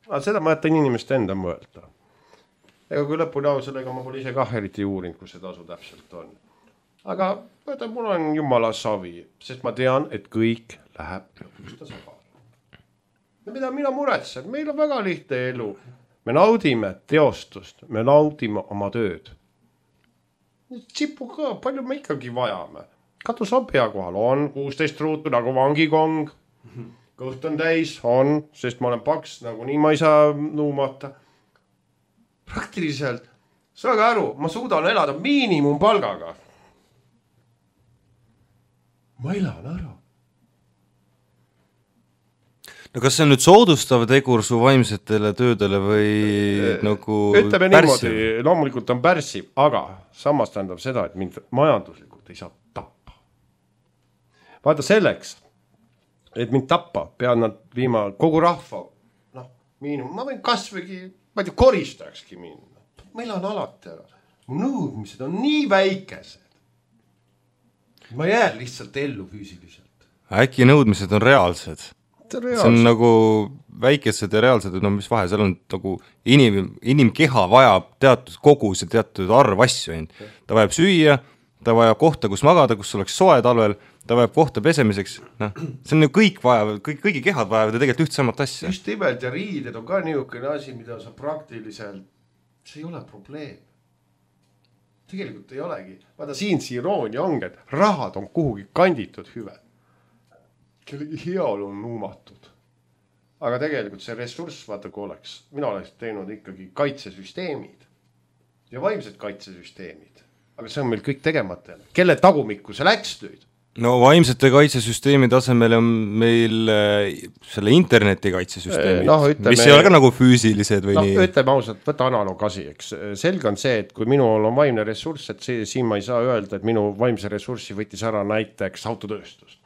No, seda mõetan inimeste enda mõelda. Ega kui lõpuni au sellega ma pole ise kah eriti uurinud, kus see tasu täpselt on. Aga mõetan, mul on jumala savi, sest ma tean, et kõik läheb lõpuks tasakaal. Ja mida mina muretsen, meil on väga lihtne elu. Me naudime teostust, me naudime oma tööd. Tsipu ka, palju me ikkagi vajame. Katus on pea kohal, on kuusteist ruutu nagu vangikong. Kõht on täis, on, sest ma olen paks, nagu nii ma ei saa nuumata. Praktiliselt, saage aru, ma suudan elada miinimumpalgaga. Ma elan ära. No kas see on nüüd soodustav tegur su vaimsetele töödele või nagu ütleme niimoodi, loomulikult on pärssiv, aga samas tähendab seda, et mind majanduslikult ei saa tappa. vaata selleks, et mind tappa, pean nad viima kogu rahva, noh, miinum, ma võin kasvõigi, ma ei tea, koristajakski minna. Meil on alati ära. Mu nõudmised on nii väikesed. Ma jään lihtsalt ellu füüsiliselt. Äkki nõudmised on reaalsed? See on, see on nagu väikesed ja reaalsed, no mis vahe, seal on nagu inim, inimkeha vajab teatud kogus ja teatud arv asju. Ta vajab süüa, ta vajab kohta, kus magada, kus oleks soe talvel, ta vajab kohta pesemiseks. No, see on ju kõik vajavad, kõik, kõigi kehad vajavad ja tegelikult üht samat asja. Just nimelt ja riided on ka niisugune asi, mida sa praktiliselt, see ei ole probleem. Tegelikult ei olegi. Vaata siin see iroonia ongi, et rahad on kuhugi kanditud hüved. Kellegi heaolu on nuumatud. Aga tegelikult see ressurss, vaata kui oleks, mina oleks teinud ikkagi kaitsesüsteemid ja vaimsed kaitsesüsteemid. Aga see on meil kõik tegemata. Kelle tagumikku see läks nüüd? No vaimsete kaitsesüsteemi tasemel on meil selle interneti kaitsesüsteemid, no, ütleme, mis ei ole ka nagu füüsilised või no, nii. Ütleme ausalt, võta analoog asi, eks. Selge on see, et kui minul on vaimne ressurss, et see, siin ma ei saa öelda, et minu vaimse ressurssi võttis ära näiteks autotööstus.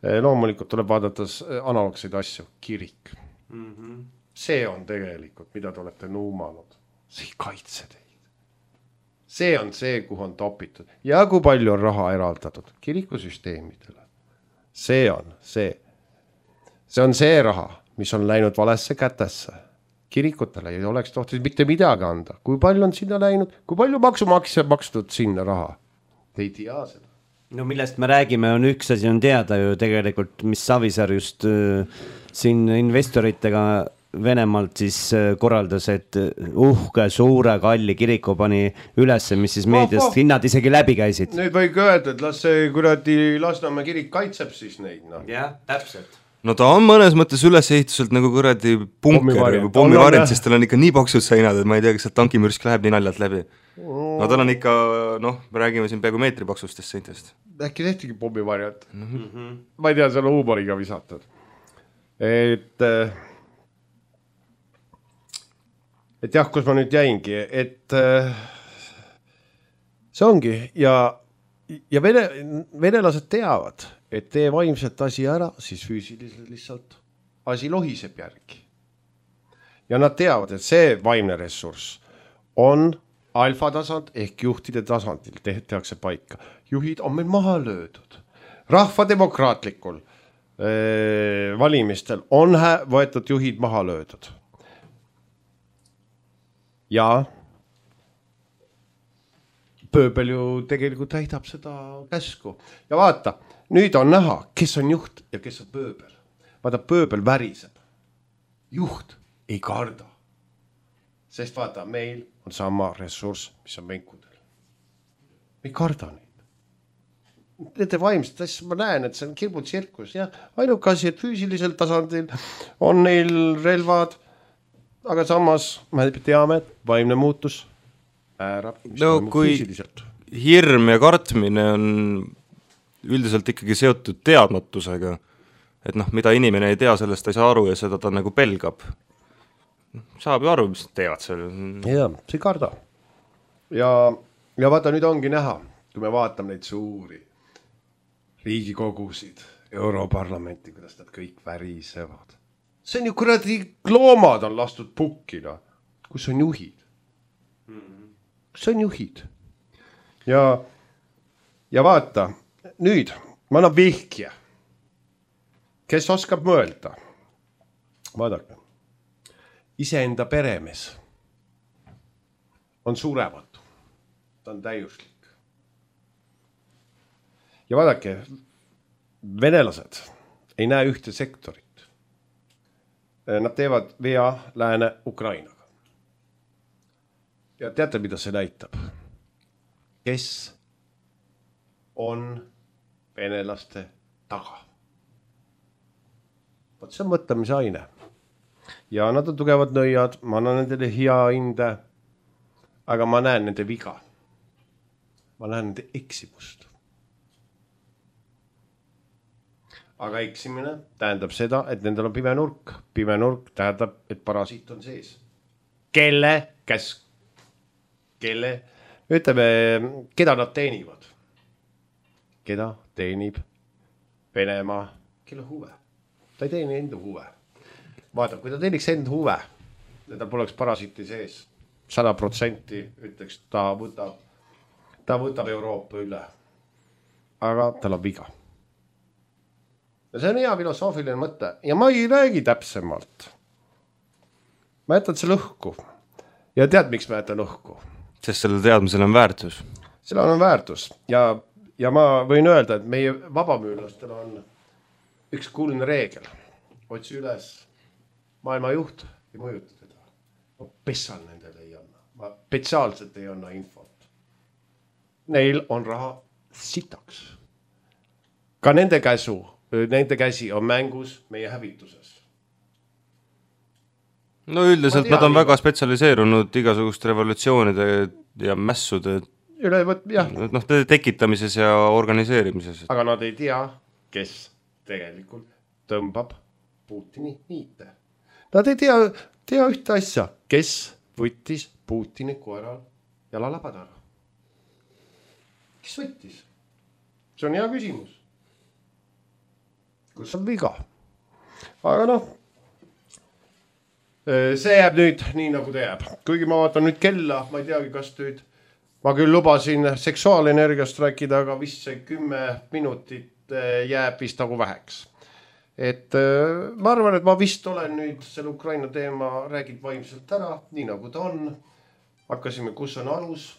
Loomulikult tuleb vaadata analoogseid asju, kirik. Mm-hmm. See on tegelikult, mida te olete nuumanud. See ei kaitse teid. See on see, kuhu on topitud. Ja kui palju on raha eraldatud kirikusüsteemidele. See on see. See on see raha, mis on läinud valesse kätesse. Kirikutele ei oleks tohtis mitte midagi anda. Kui palju on sinna läinud? Kui palju maksumaksja makstud sinna raha? Te ei tea seda. No millest me räägime, on üks asi on teada ju tegelikult, mis Savisaar just äh, siin investoritega Venemaalt siis korraldas, et uhke, suure, kalli kiriku pani üles, mis siis meediast oh, oh. hinnad isegi läbi käisid. Nüüd võigi öelda, et las see kuradi Lasnamäe kirik kaitseb siis neid. No. Jah, täpselt. No ta on mõnes mõttes ülesehituselt nagu kuradi punker või pommivarjent, sest tal on ikka nii paksud seinad, et ma ei tea, kas tankimürsk läheb nii naljalt läbi. No tal on ikka, noh, me räägime siin peaaegu meetri paksustest seintest. Äkki tehtigi pommivarjent. Mm-hmm. Ma ei tea, see on huumoriga visatud. Et... et jah, kus ma nüüd jäingi, et äh, see ongi ja, ja vene, venelased teavad, et tee vaimset asi ära, siis füüsiliselt lihtsalt asi lohiseb järgi. Ja nad teavad, et see vaimne ressurss on alfa tasand ehk juhtide tasandil tehtakse paika. Juhid on meil maha löödud. Rahvademokraatlikul äh, valimistel on hä- võetud juhid maha löödud. Ja pööbel ju tegelikult täidab seda käsku. Ja vaata, nüüd on näha, kes on juht ja kes on pööbel. Vaata, pööbel väriseb. Juht ei karda. Sest vaata, meil on sama ressurss, mis on venkudel. Me ei karda neid. Nende vaimsed asjad, ma näen, et see on kirbu tsirkus. Ja ainuke asi, et füüsilisel tasandil on neil relvad, aga samas me teame, et vaimne muutus äärab, mis no, toimub füüsiliselt. Hirm ja kartmine on üldiselt ikkagi seotud teadmatusega, et noh, mida inimene ei tea, sellest ei saa aru ja seda ta nagu pelgab. Saab ju aru, mis teevad seal. Ja, see ei karda. Ja, ja vaata, nüüd ongi näha, kui me vaatame neid suuri riigikogusid, Europarlamenti, kuidas nad kõik värisevad. See on ju kuradi loomad on lastud pukkina. Kus on juhid? Kus on juhid? Ja, ja vaata, nüüd ma annan vihkje. Kes oskab mõelda? Vaadake. Iseenda peremees on surematu. Ta on täiuslik. Ja vaadake, venelased ei näe ühte sektorit. Nad teevad vea lääne Ukrainaga. Ja teate, mida see näitab? Kes on venelaste taga? Võt see on mõtlemise aine. Ja nad on tugevad nõiad, ma annan nendele hea hinde, aga ma näen nende viga. Ma näen nende eksimust. Aga eksimine tähendab seda, et nendel on pime nurk. Pime nurk tähendab, et parasiit on sees. Kelle, kes, kelle, ütleme, keda nad teenivad? Keda teenib Venemaa, kelle huve. Ta ei teeni enda huve. Vaata, kui ta teeniks enda huve ja ta poleks parasiiti sees, sada protsenti ütleks, ta võtab, ta võtab Euroopa üle. Aga tal on viga. Ja see on hea filosoofiline mõte ja ma ei räägi täpsemalt. Ma jätan selle õhku ja tead, miks ma jätan õhku? Sest selle teadmisel on väärtus. Sellel on väärtus ja, ja ma võin öelda, et meie vabamüülastel on üks kuulne reegel. Otsi üles maailma juht ei mõjuta teda. Ma pessal nendele ei anna. Ma spetsiaalselt ei anna infot. Neil on raha sitaks. Ka nende käsu, nende käsi on mängus meie hävituses. No üldiselt nad on nii väga spetsialiseerunud igasugust revolutsioonide ja mässude üle võt, jah. No, tekitamises ja organiseerimises. Aga nad ei tea, kes tegelikult tõmbab Putini niite. Nad ei tea, tea ühte asja, kes võttis Putini koeral jalalabadara. Kes võttis? See on hea küsimus. Kus on viga? Aga noh, see jääb nüüd nii nagu ta jääb. Kuigi ma vaatan nüüd kella, ma ei teagi, kas nüüd, ma küll lubasin seksuaalenergiast rääkida, aga vist see kümme minutit jääb vist nagu väheks. Et ma arvan, et ma vist olen nüüd selle Ukraina teema räägid vaimselt ära, nii nagu ta on. Hakkasime, kus on alus,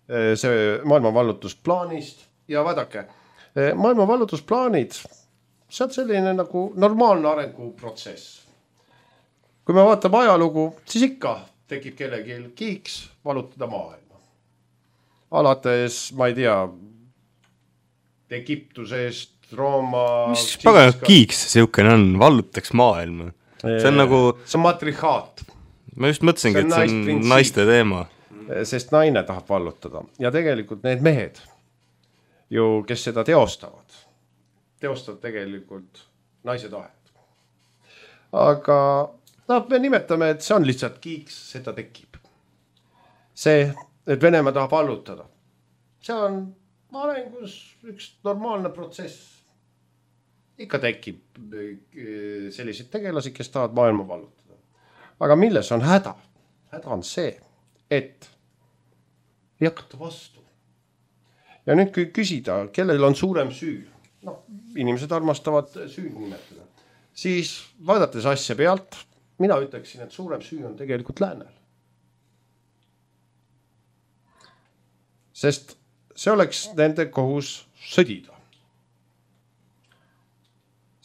see maailma vallutusplaanist ja vaadake, maailma vallutusplaanid, see on selline nagu normaalne arenguprotsess. Kui me vaatame ajalugu, siis ikka tekib kellegi kiiks valutada maailma. Alates, ma ei tea, Egiptusest, Rooma... Mis pagan kiiks siukene on, vallutaks maailma? See on nagu... See on matrihaat. Ma just mõtlesingi, et see on naiste teema. Sest naine tahab vallutada. Ja tegelikult need mehed, ju, kes seda teostavad, teostavad tegelikult naise tahet. Aga... No, me nimetame, et see on lihtsalt kiiks, seda tekib. See, et Venemaa tahab vallutada. See on arengus üks normaalne protsess. Ikka tekib selliseid tegelasi, kes tahavad maailma vallutada. Aga milles on häda? Häda on see, et ei hakata vastu. Ja nüüd kui küsida, kellel on suurem süü, no, inimesed armastavad süü nimetada, siis vaadates asja pealt, mina ütleksin, et suurem süü on tegelikult läänel. Sest see oleks nende kohus sõdida.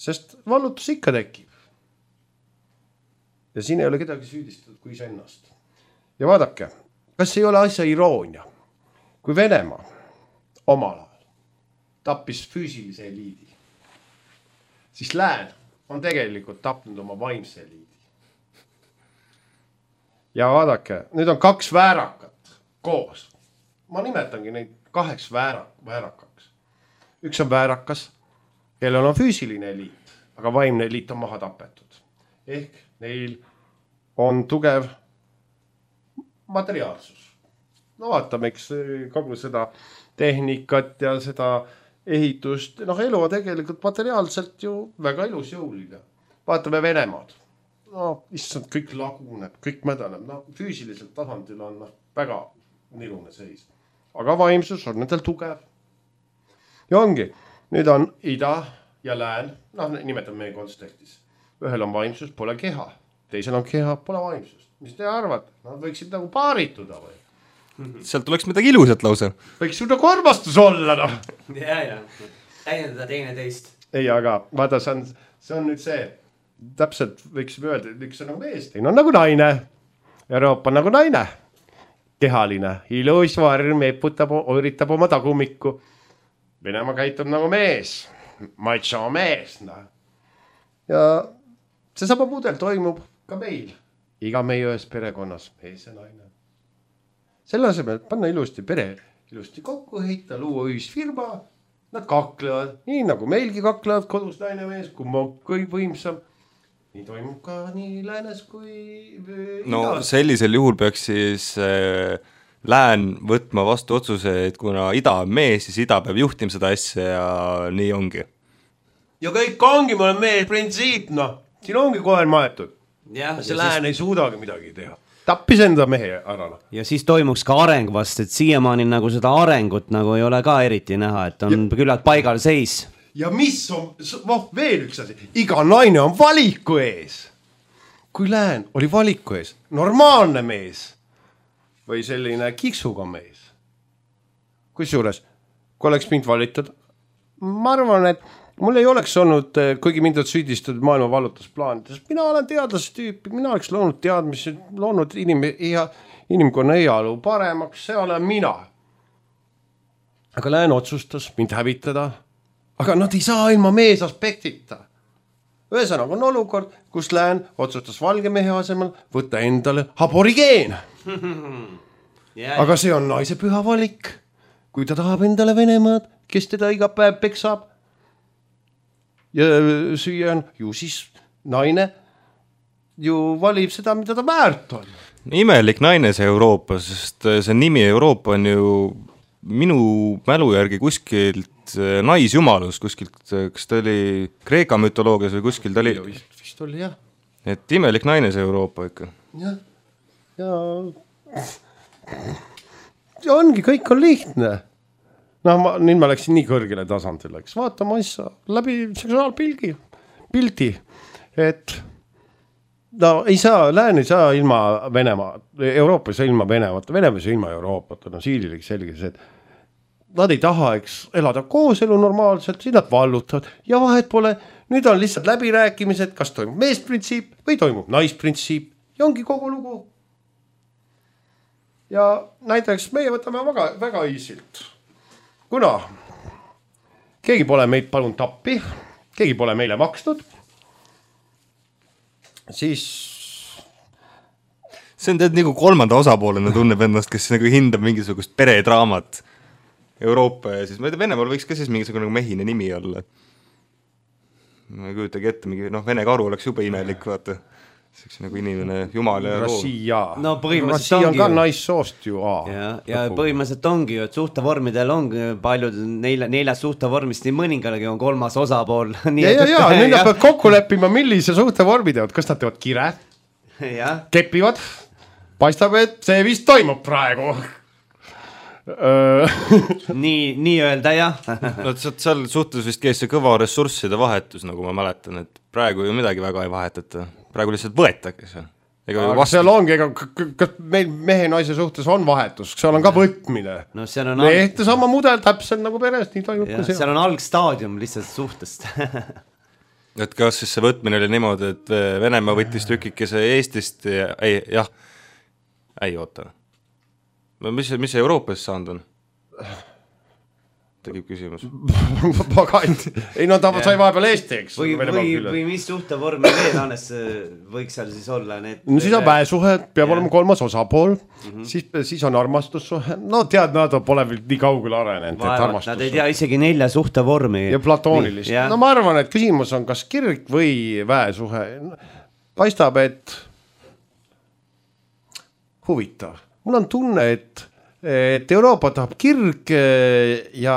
Sest vallutus ikka tekib. Ja siin ei ole kedagi süüdistatud kui iseennast. Ja vaadake, kas ei ole asja iroonia, kui Venemaa omal ajal tappis füüsilise eliidi, siis lään on tegelikult tapnud oma vaimse eliidi. Ja vaadake, nüüd on kaks väärakat koos. Ma nimetangi neid kaheks väärak, väärakaks. Üks on väärakas, kellel on füüsiline eliit, aga vaimne eliit on maha tapetud. Ehk neil on tugev materiaalsus. No vaatame, eks kogu seda tehnikat ja seda ehitust. Noh, elu on tegelikult materiaalselt ju väga ilus jõuline. Vaatame Venemaad. No, issand, kõik laguneb, kõik mädaneb. No, füüsiliselt tasandil on no, väga nilune seis. Aga vaimsus on nendel tugev. Ja ongi, nüüd on ida ja lään, noh, nimetame meie kontekstis. Ühel on vaimsus, pole keha. Teisel on keha, pole vaimsust. Mis te arvate? Nad võiksid nagu paarituda või? Sealt tuleks midagi ilusat lausa. Võiks ju nagu armastus olla, noh. Ja, ja. Täiendada teine teist. Ei, aga vaata, see on, see on nüüd see... Täpselt võiksime öelda, et üks on nagu mees, teine on nagu naine. Euroopa on nagu naine. Kehaline, ilus varm, eputab, üritab oma tagumikku. Venemaa käitub nagu mees. Macho mees. No. Ja see sama mudel toimub ka meil. Iga meie ühes perekonnas, mees ja naine. Selle asemel panna ilusti pere, ilusti kokku heita, luua ühisfirma. Nad kaklevad, nii nagu meilgi kaklevad kodus naine mees, kui ma kõik võimsam. Nii toimub ka nii läänes kui... No idas. Sellisel juhul peaks siis äh, lään võtma vastu otsuse, et kuna ida on mees, siis ida peab juhtima seda asja ja nii ongi. ja kõik ongi, mul on mees printsiip, noh, siin ongi koer maetud. Ja, see lään siis... ei suudagi midagi teha. Tappis enda mehe ära. Ja siis toimuks ka areng vast, et siiamaani nagu seda arengut nagu ei ole ka eriti näha, et on ja... küllalt paigal seis. Ja mis on, voh, veel üks asi, iga naine on valiku ees. Kui lään oli valiku ees, normaalne mees või selline kiksuga mees. Kusjuures, kui oleks mind valitud, ma arvan, et mul ei oleks olnud, kuigi mind on süüdistatud maailma vallutusplaanides, mina olen teadlastüüpi, mina oleks loonud teadmisi, loonud inim, ja, inimkonna heaolu paremaks, see olen mina. Aga lään otsustas mind hävitada, aga nad ei saa ilma mees aspektita. Ühesõnaga on olukord, kus lään otsustas valge mehe asemel võtta endale aborigeen. Aga see on naise püha valik. Kui ta tahab endale Venemaad, kes teda iga päev peksab ja süüa on, ju siis naine ju valib seda, mida ta väärt on. Imelik naine see Euroopa, sest see nimi Euroopa on ju minu mälu järgi kuskilt naisjumalus, kuskilt, kas ta oli Kreeka mütoloogias või kuskil ta oli? Vist, vist oli, jah. Et imelik naine see Euroopa ikka. Jah, ja... ja ongi, kõik on lihtne. No ma, nüüd ma läksin nii kõrgele tasandile, eks vaata ma issa läbi seksuaalpilgi, pildi, et no ei saa, lään ei saa ilma Venemaa, Euroopa ei saa ilma Venemaata, Venemaa ei saa ilma Euroopata, no siililegi selge see, et nad ei taha, eks, elada koos elu normaalselt, siis nad vallutavad ja vahet pole, nüüd on lihtsalt läbirääkimised, kas toimub meesprintsiip või toimub naisprintsiip ja ongi kogu lugu. Ja näiteks meie võtame väga, väga easilt. Kuna keegi pole meid palun tappi, keegi pole meile maksnud, siis... See on tead nagu kolmanda osapoolena tunneb ennast, kes nagu hindab mingisugust peredraamat Euroopa ja siis, ma ei tea, Venemaal võiks ka siis mingisugune nagu mehine nimi olla. Ma ei kujutagi ette, mingi, noh, Vene karu oleks juba imelik, vaata. Seks nagu inimene, jumal ja Rassia. No Rassia on ka naissoost ju. Aa, ja, ja põhimõtteliselt ongi ju, et suhtevormidel on paljud nelja, neljast suhtevormist, nii mõningalegi on kolmas osapool. Nii, ja, ja, ja, nüüd nad peavad kokku leppima, millise suhtevormi teevad. Kas nad teevad kire? Ja. Kepivad? Paistab, et see vist toimub praegu. nii, nii öelda, jah. no, seal suhtes vist käis see kõva ressursside vahetus, nagu ma mäletan, et praegu ju midagi väga ei vahetata. Praegu lihtsalt võetage see. Ega aga vastu... seal ongi, ega kas meil mehe naise suhtes on vahetus, seal on ka võtmine. No, seal on alg... Ehte sama mudel täpselt nagu perest, nii toimub ka seal. Seal on algstaadium lihtsalt suhtest. et kas siis see võtmine oli niimoodi, et Venemaa võttis tükikese Eestist ja... ei, jah, ei oota. Mis, mis Euroopas saanud on? Tegib küsimus. ei no ta sai vahepeal Eesti, eks. Või, või, või mis suhtevormi veel annes võiks seal siis olla? Need... No siis on väesuhe, peab ja. olema kolmas osapool, mm-hmm. siis, siis on armastussuhe. No tead, nad pole veel nii kaugel arenenud. Nad ei tea isegi nelja suhtevormi. Ja platoonilist. Ja. No ma arvan, et küsimus on kas kirg või väesuhe. Paistab, et huvitav. Mul on tunne, et, et Euroopa tahab kirg ja,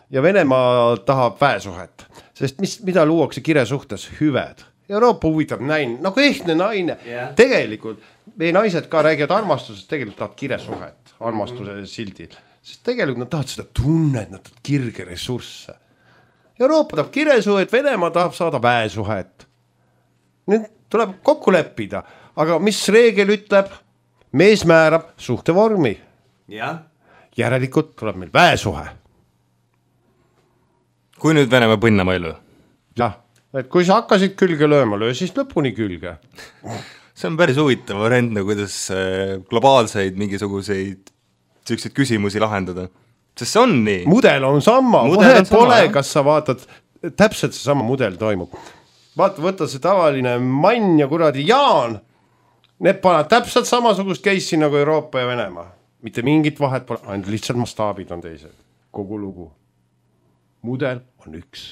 ja Venemaa tahab väesuhet. Sest mis, mida luuakse kire suhtes? Hüved. Euroopa huvitab näin, nagu ehtne naine. Yeah. Tegelikult meie naised ka räägivad armastusest, tegelikult tahavad kire suhet, armastuse mm-hmm. sildil. Sest tegelikult nad tahavad seda tunnet, nad tahavad kirge ressursse. Euroopa tahab kire suhet, Venemaa tahab saada väesuhet. Nüüd tuleb kokku leppida, aga mis reegel ütleb? Mees määrab suhtevormi. Ja. Järelikult tuleb meil väesuhe. Kui nüüd Venemaa põnnama ei löö? Jah, et kui sa hakkasid külge lööma, löö siis lõpuni külge. See on päris huvitav variant, kuidas globaalseid mingisuguseid selliseid küsimusi lahendada. Sest see on nii. Mudel on sama. Mudel on pole, sama, kas sa vaatad, täpselt see sama mudel toimub. Vaata, võtta see tavaline mann ja kuradi Jaan. Need pannad täpselt samasugust keissi nagu Euroopa ja Venemaa. Mitte mingit vahet pole, ainult lihtsalt mastaabid on teised. Kogu lugu. Mudel on üks.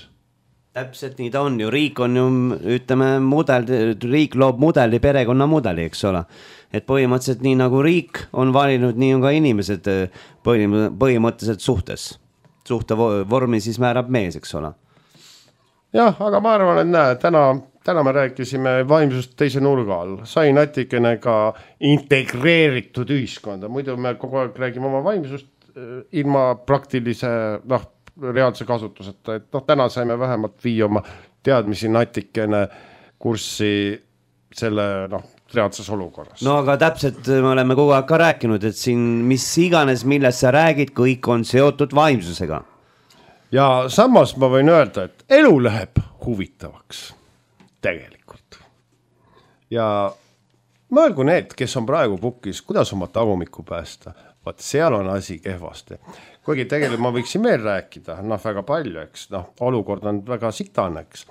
Täpselt nii ta on ju. Riik on ju, ütleme, mudel, riik loob mudeli, perekonna mudeli, eks ole. Et põhimõtteliselt nii nagu riik on valinud, nii on ka inimesed põhimõtteliselt suhtes. Suhte vormi siis määrab mees, eks ole. jah, aga ma arvan, et näe, täna, täna me rääkisime vaimsust teise nurga all. Sai natikene ka integreeritud ühiskonda. Muidu me kogu aeg räägime oma vaimsust ilma praktilise, noh, reaalse kasutuseta. Et noh, täna saime vähemalt vii oma teadmisi natikene kurssi selle, noh, reaalses olukorras. No aga täpselt me oleme kogu aeg ka rääkinud, et siin mis iganes, millest sa räägid, kõik on seotud vaimsusega. Ja samas ma võin öelda, et elu läheb huvitavaks tegelikult. Ja mõelgu need, kes on praegu pukis, kuidas oma tagumikku päästa, vaat seal on asi kehvasti. Kuigi tegelikult ma võiksin veel rääkida, noh väga palju, eks, noh olukord on väga sitane, eks.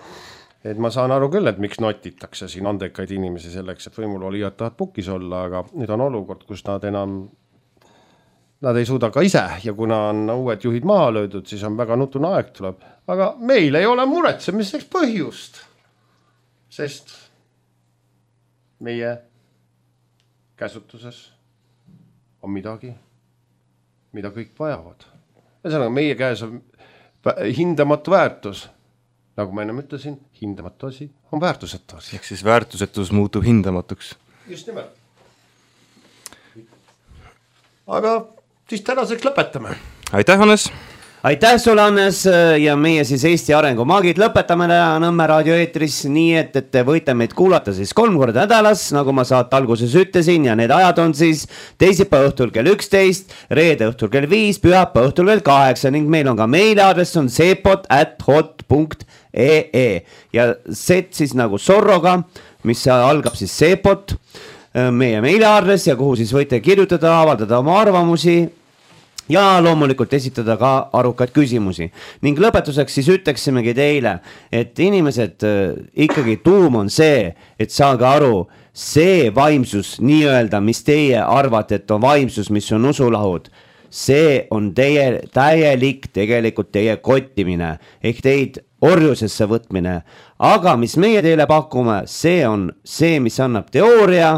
Et ma saan aru küll, et miks notitakse siin andekaid inimesi selleks, et võimul oli ja tahad pukis olla, aga nüüd on olukord, kus nad enam, nad ei suuda ka ise ja kuna on uued juhid maha löödud, siis on väga nutune aeg tuleb. Aga meil ei ole muretsemiseks põhjust, sest meie käsutuses on midagi, mida kõik vajavad. Ühesõnaga, meie käes on hindamatu väärtus. Nagu ma ennem ütlesin, hindamatu asi on väärtusetu asi. Ehk siis väärtusetus muutub hindamatuks. Just nimelt. Aga siis tänaseks lõpetame. Aitäh, Hannes! Aitäh sulle, Hannes, ja meie siis Eesti Arengumaagid lõpetame Nõmme raadio eetris nii, et, et te võite meid kuulata siis kolm korda nädalas, nagu ma saate alguses ütlesin, ja need ajad on siis teisipäeva õhtul kell üksteist, reede õhtul kell viis, pühapäeva õhtul kell kaheksa ning meil on ka meiliaadress on seepot at hot punkt ee ja set siis nagu sorroga, mis algab siis seepot, meie meiliaadress ja kuhu siis võite kirjutada, avaldada oma arvamusi ja loomulikult esitada ka arukaid küsimusi. Ning lõpetuseks siis ütleksimegi teile, et inimesed ikkagi tuum on see, et saage aru, see vaimsus nii-öelda, mis teie arvate, et on vaimsus, mis on usulahud, see on teie täielik tegelikult teie kottimine ehk teid orjusesse võtmine. Aga mis meie teile pakume, see on see, mis annab teooria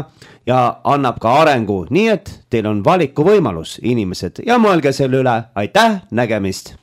ja annab ka arengu, nii et teil on valiku võimalus, inimesed, ja mõelge selle üle. Aitäh, nägemist!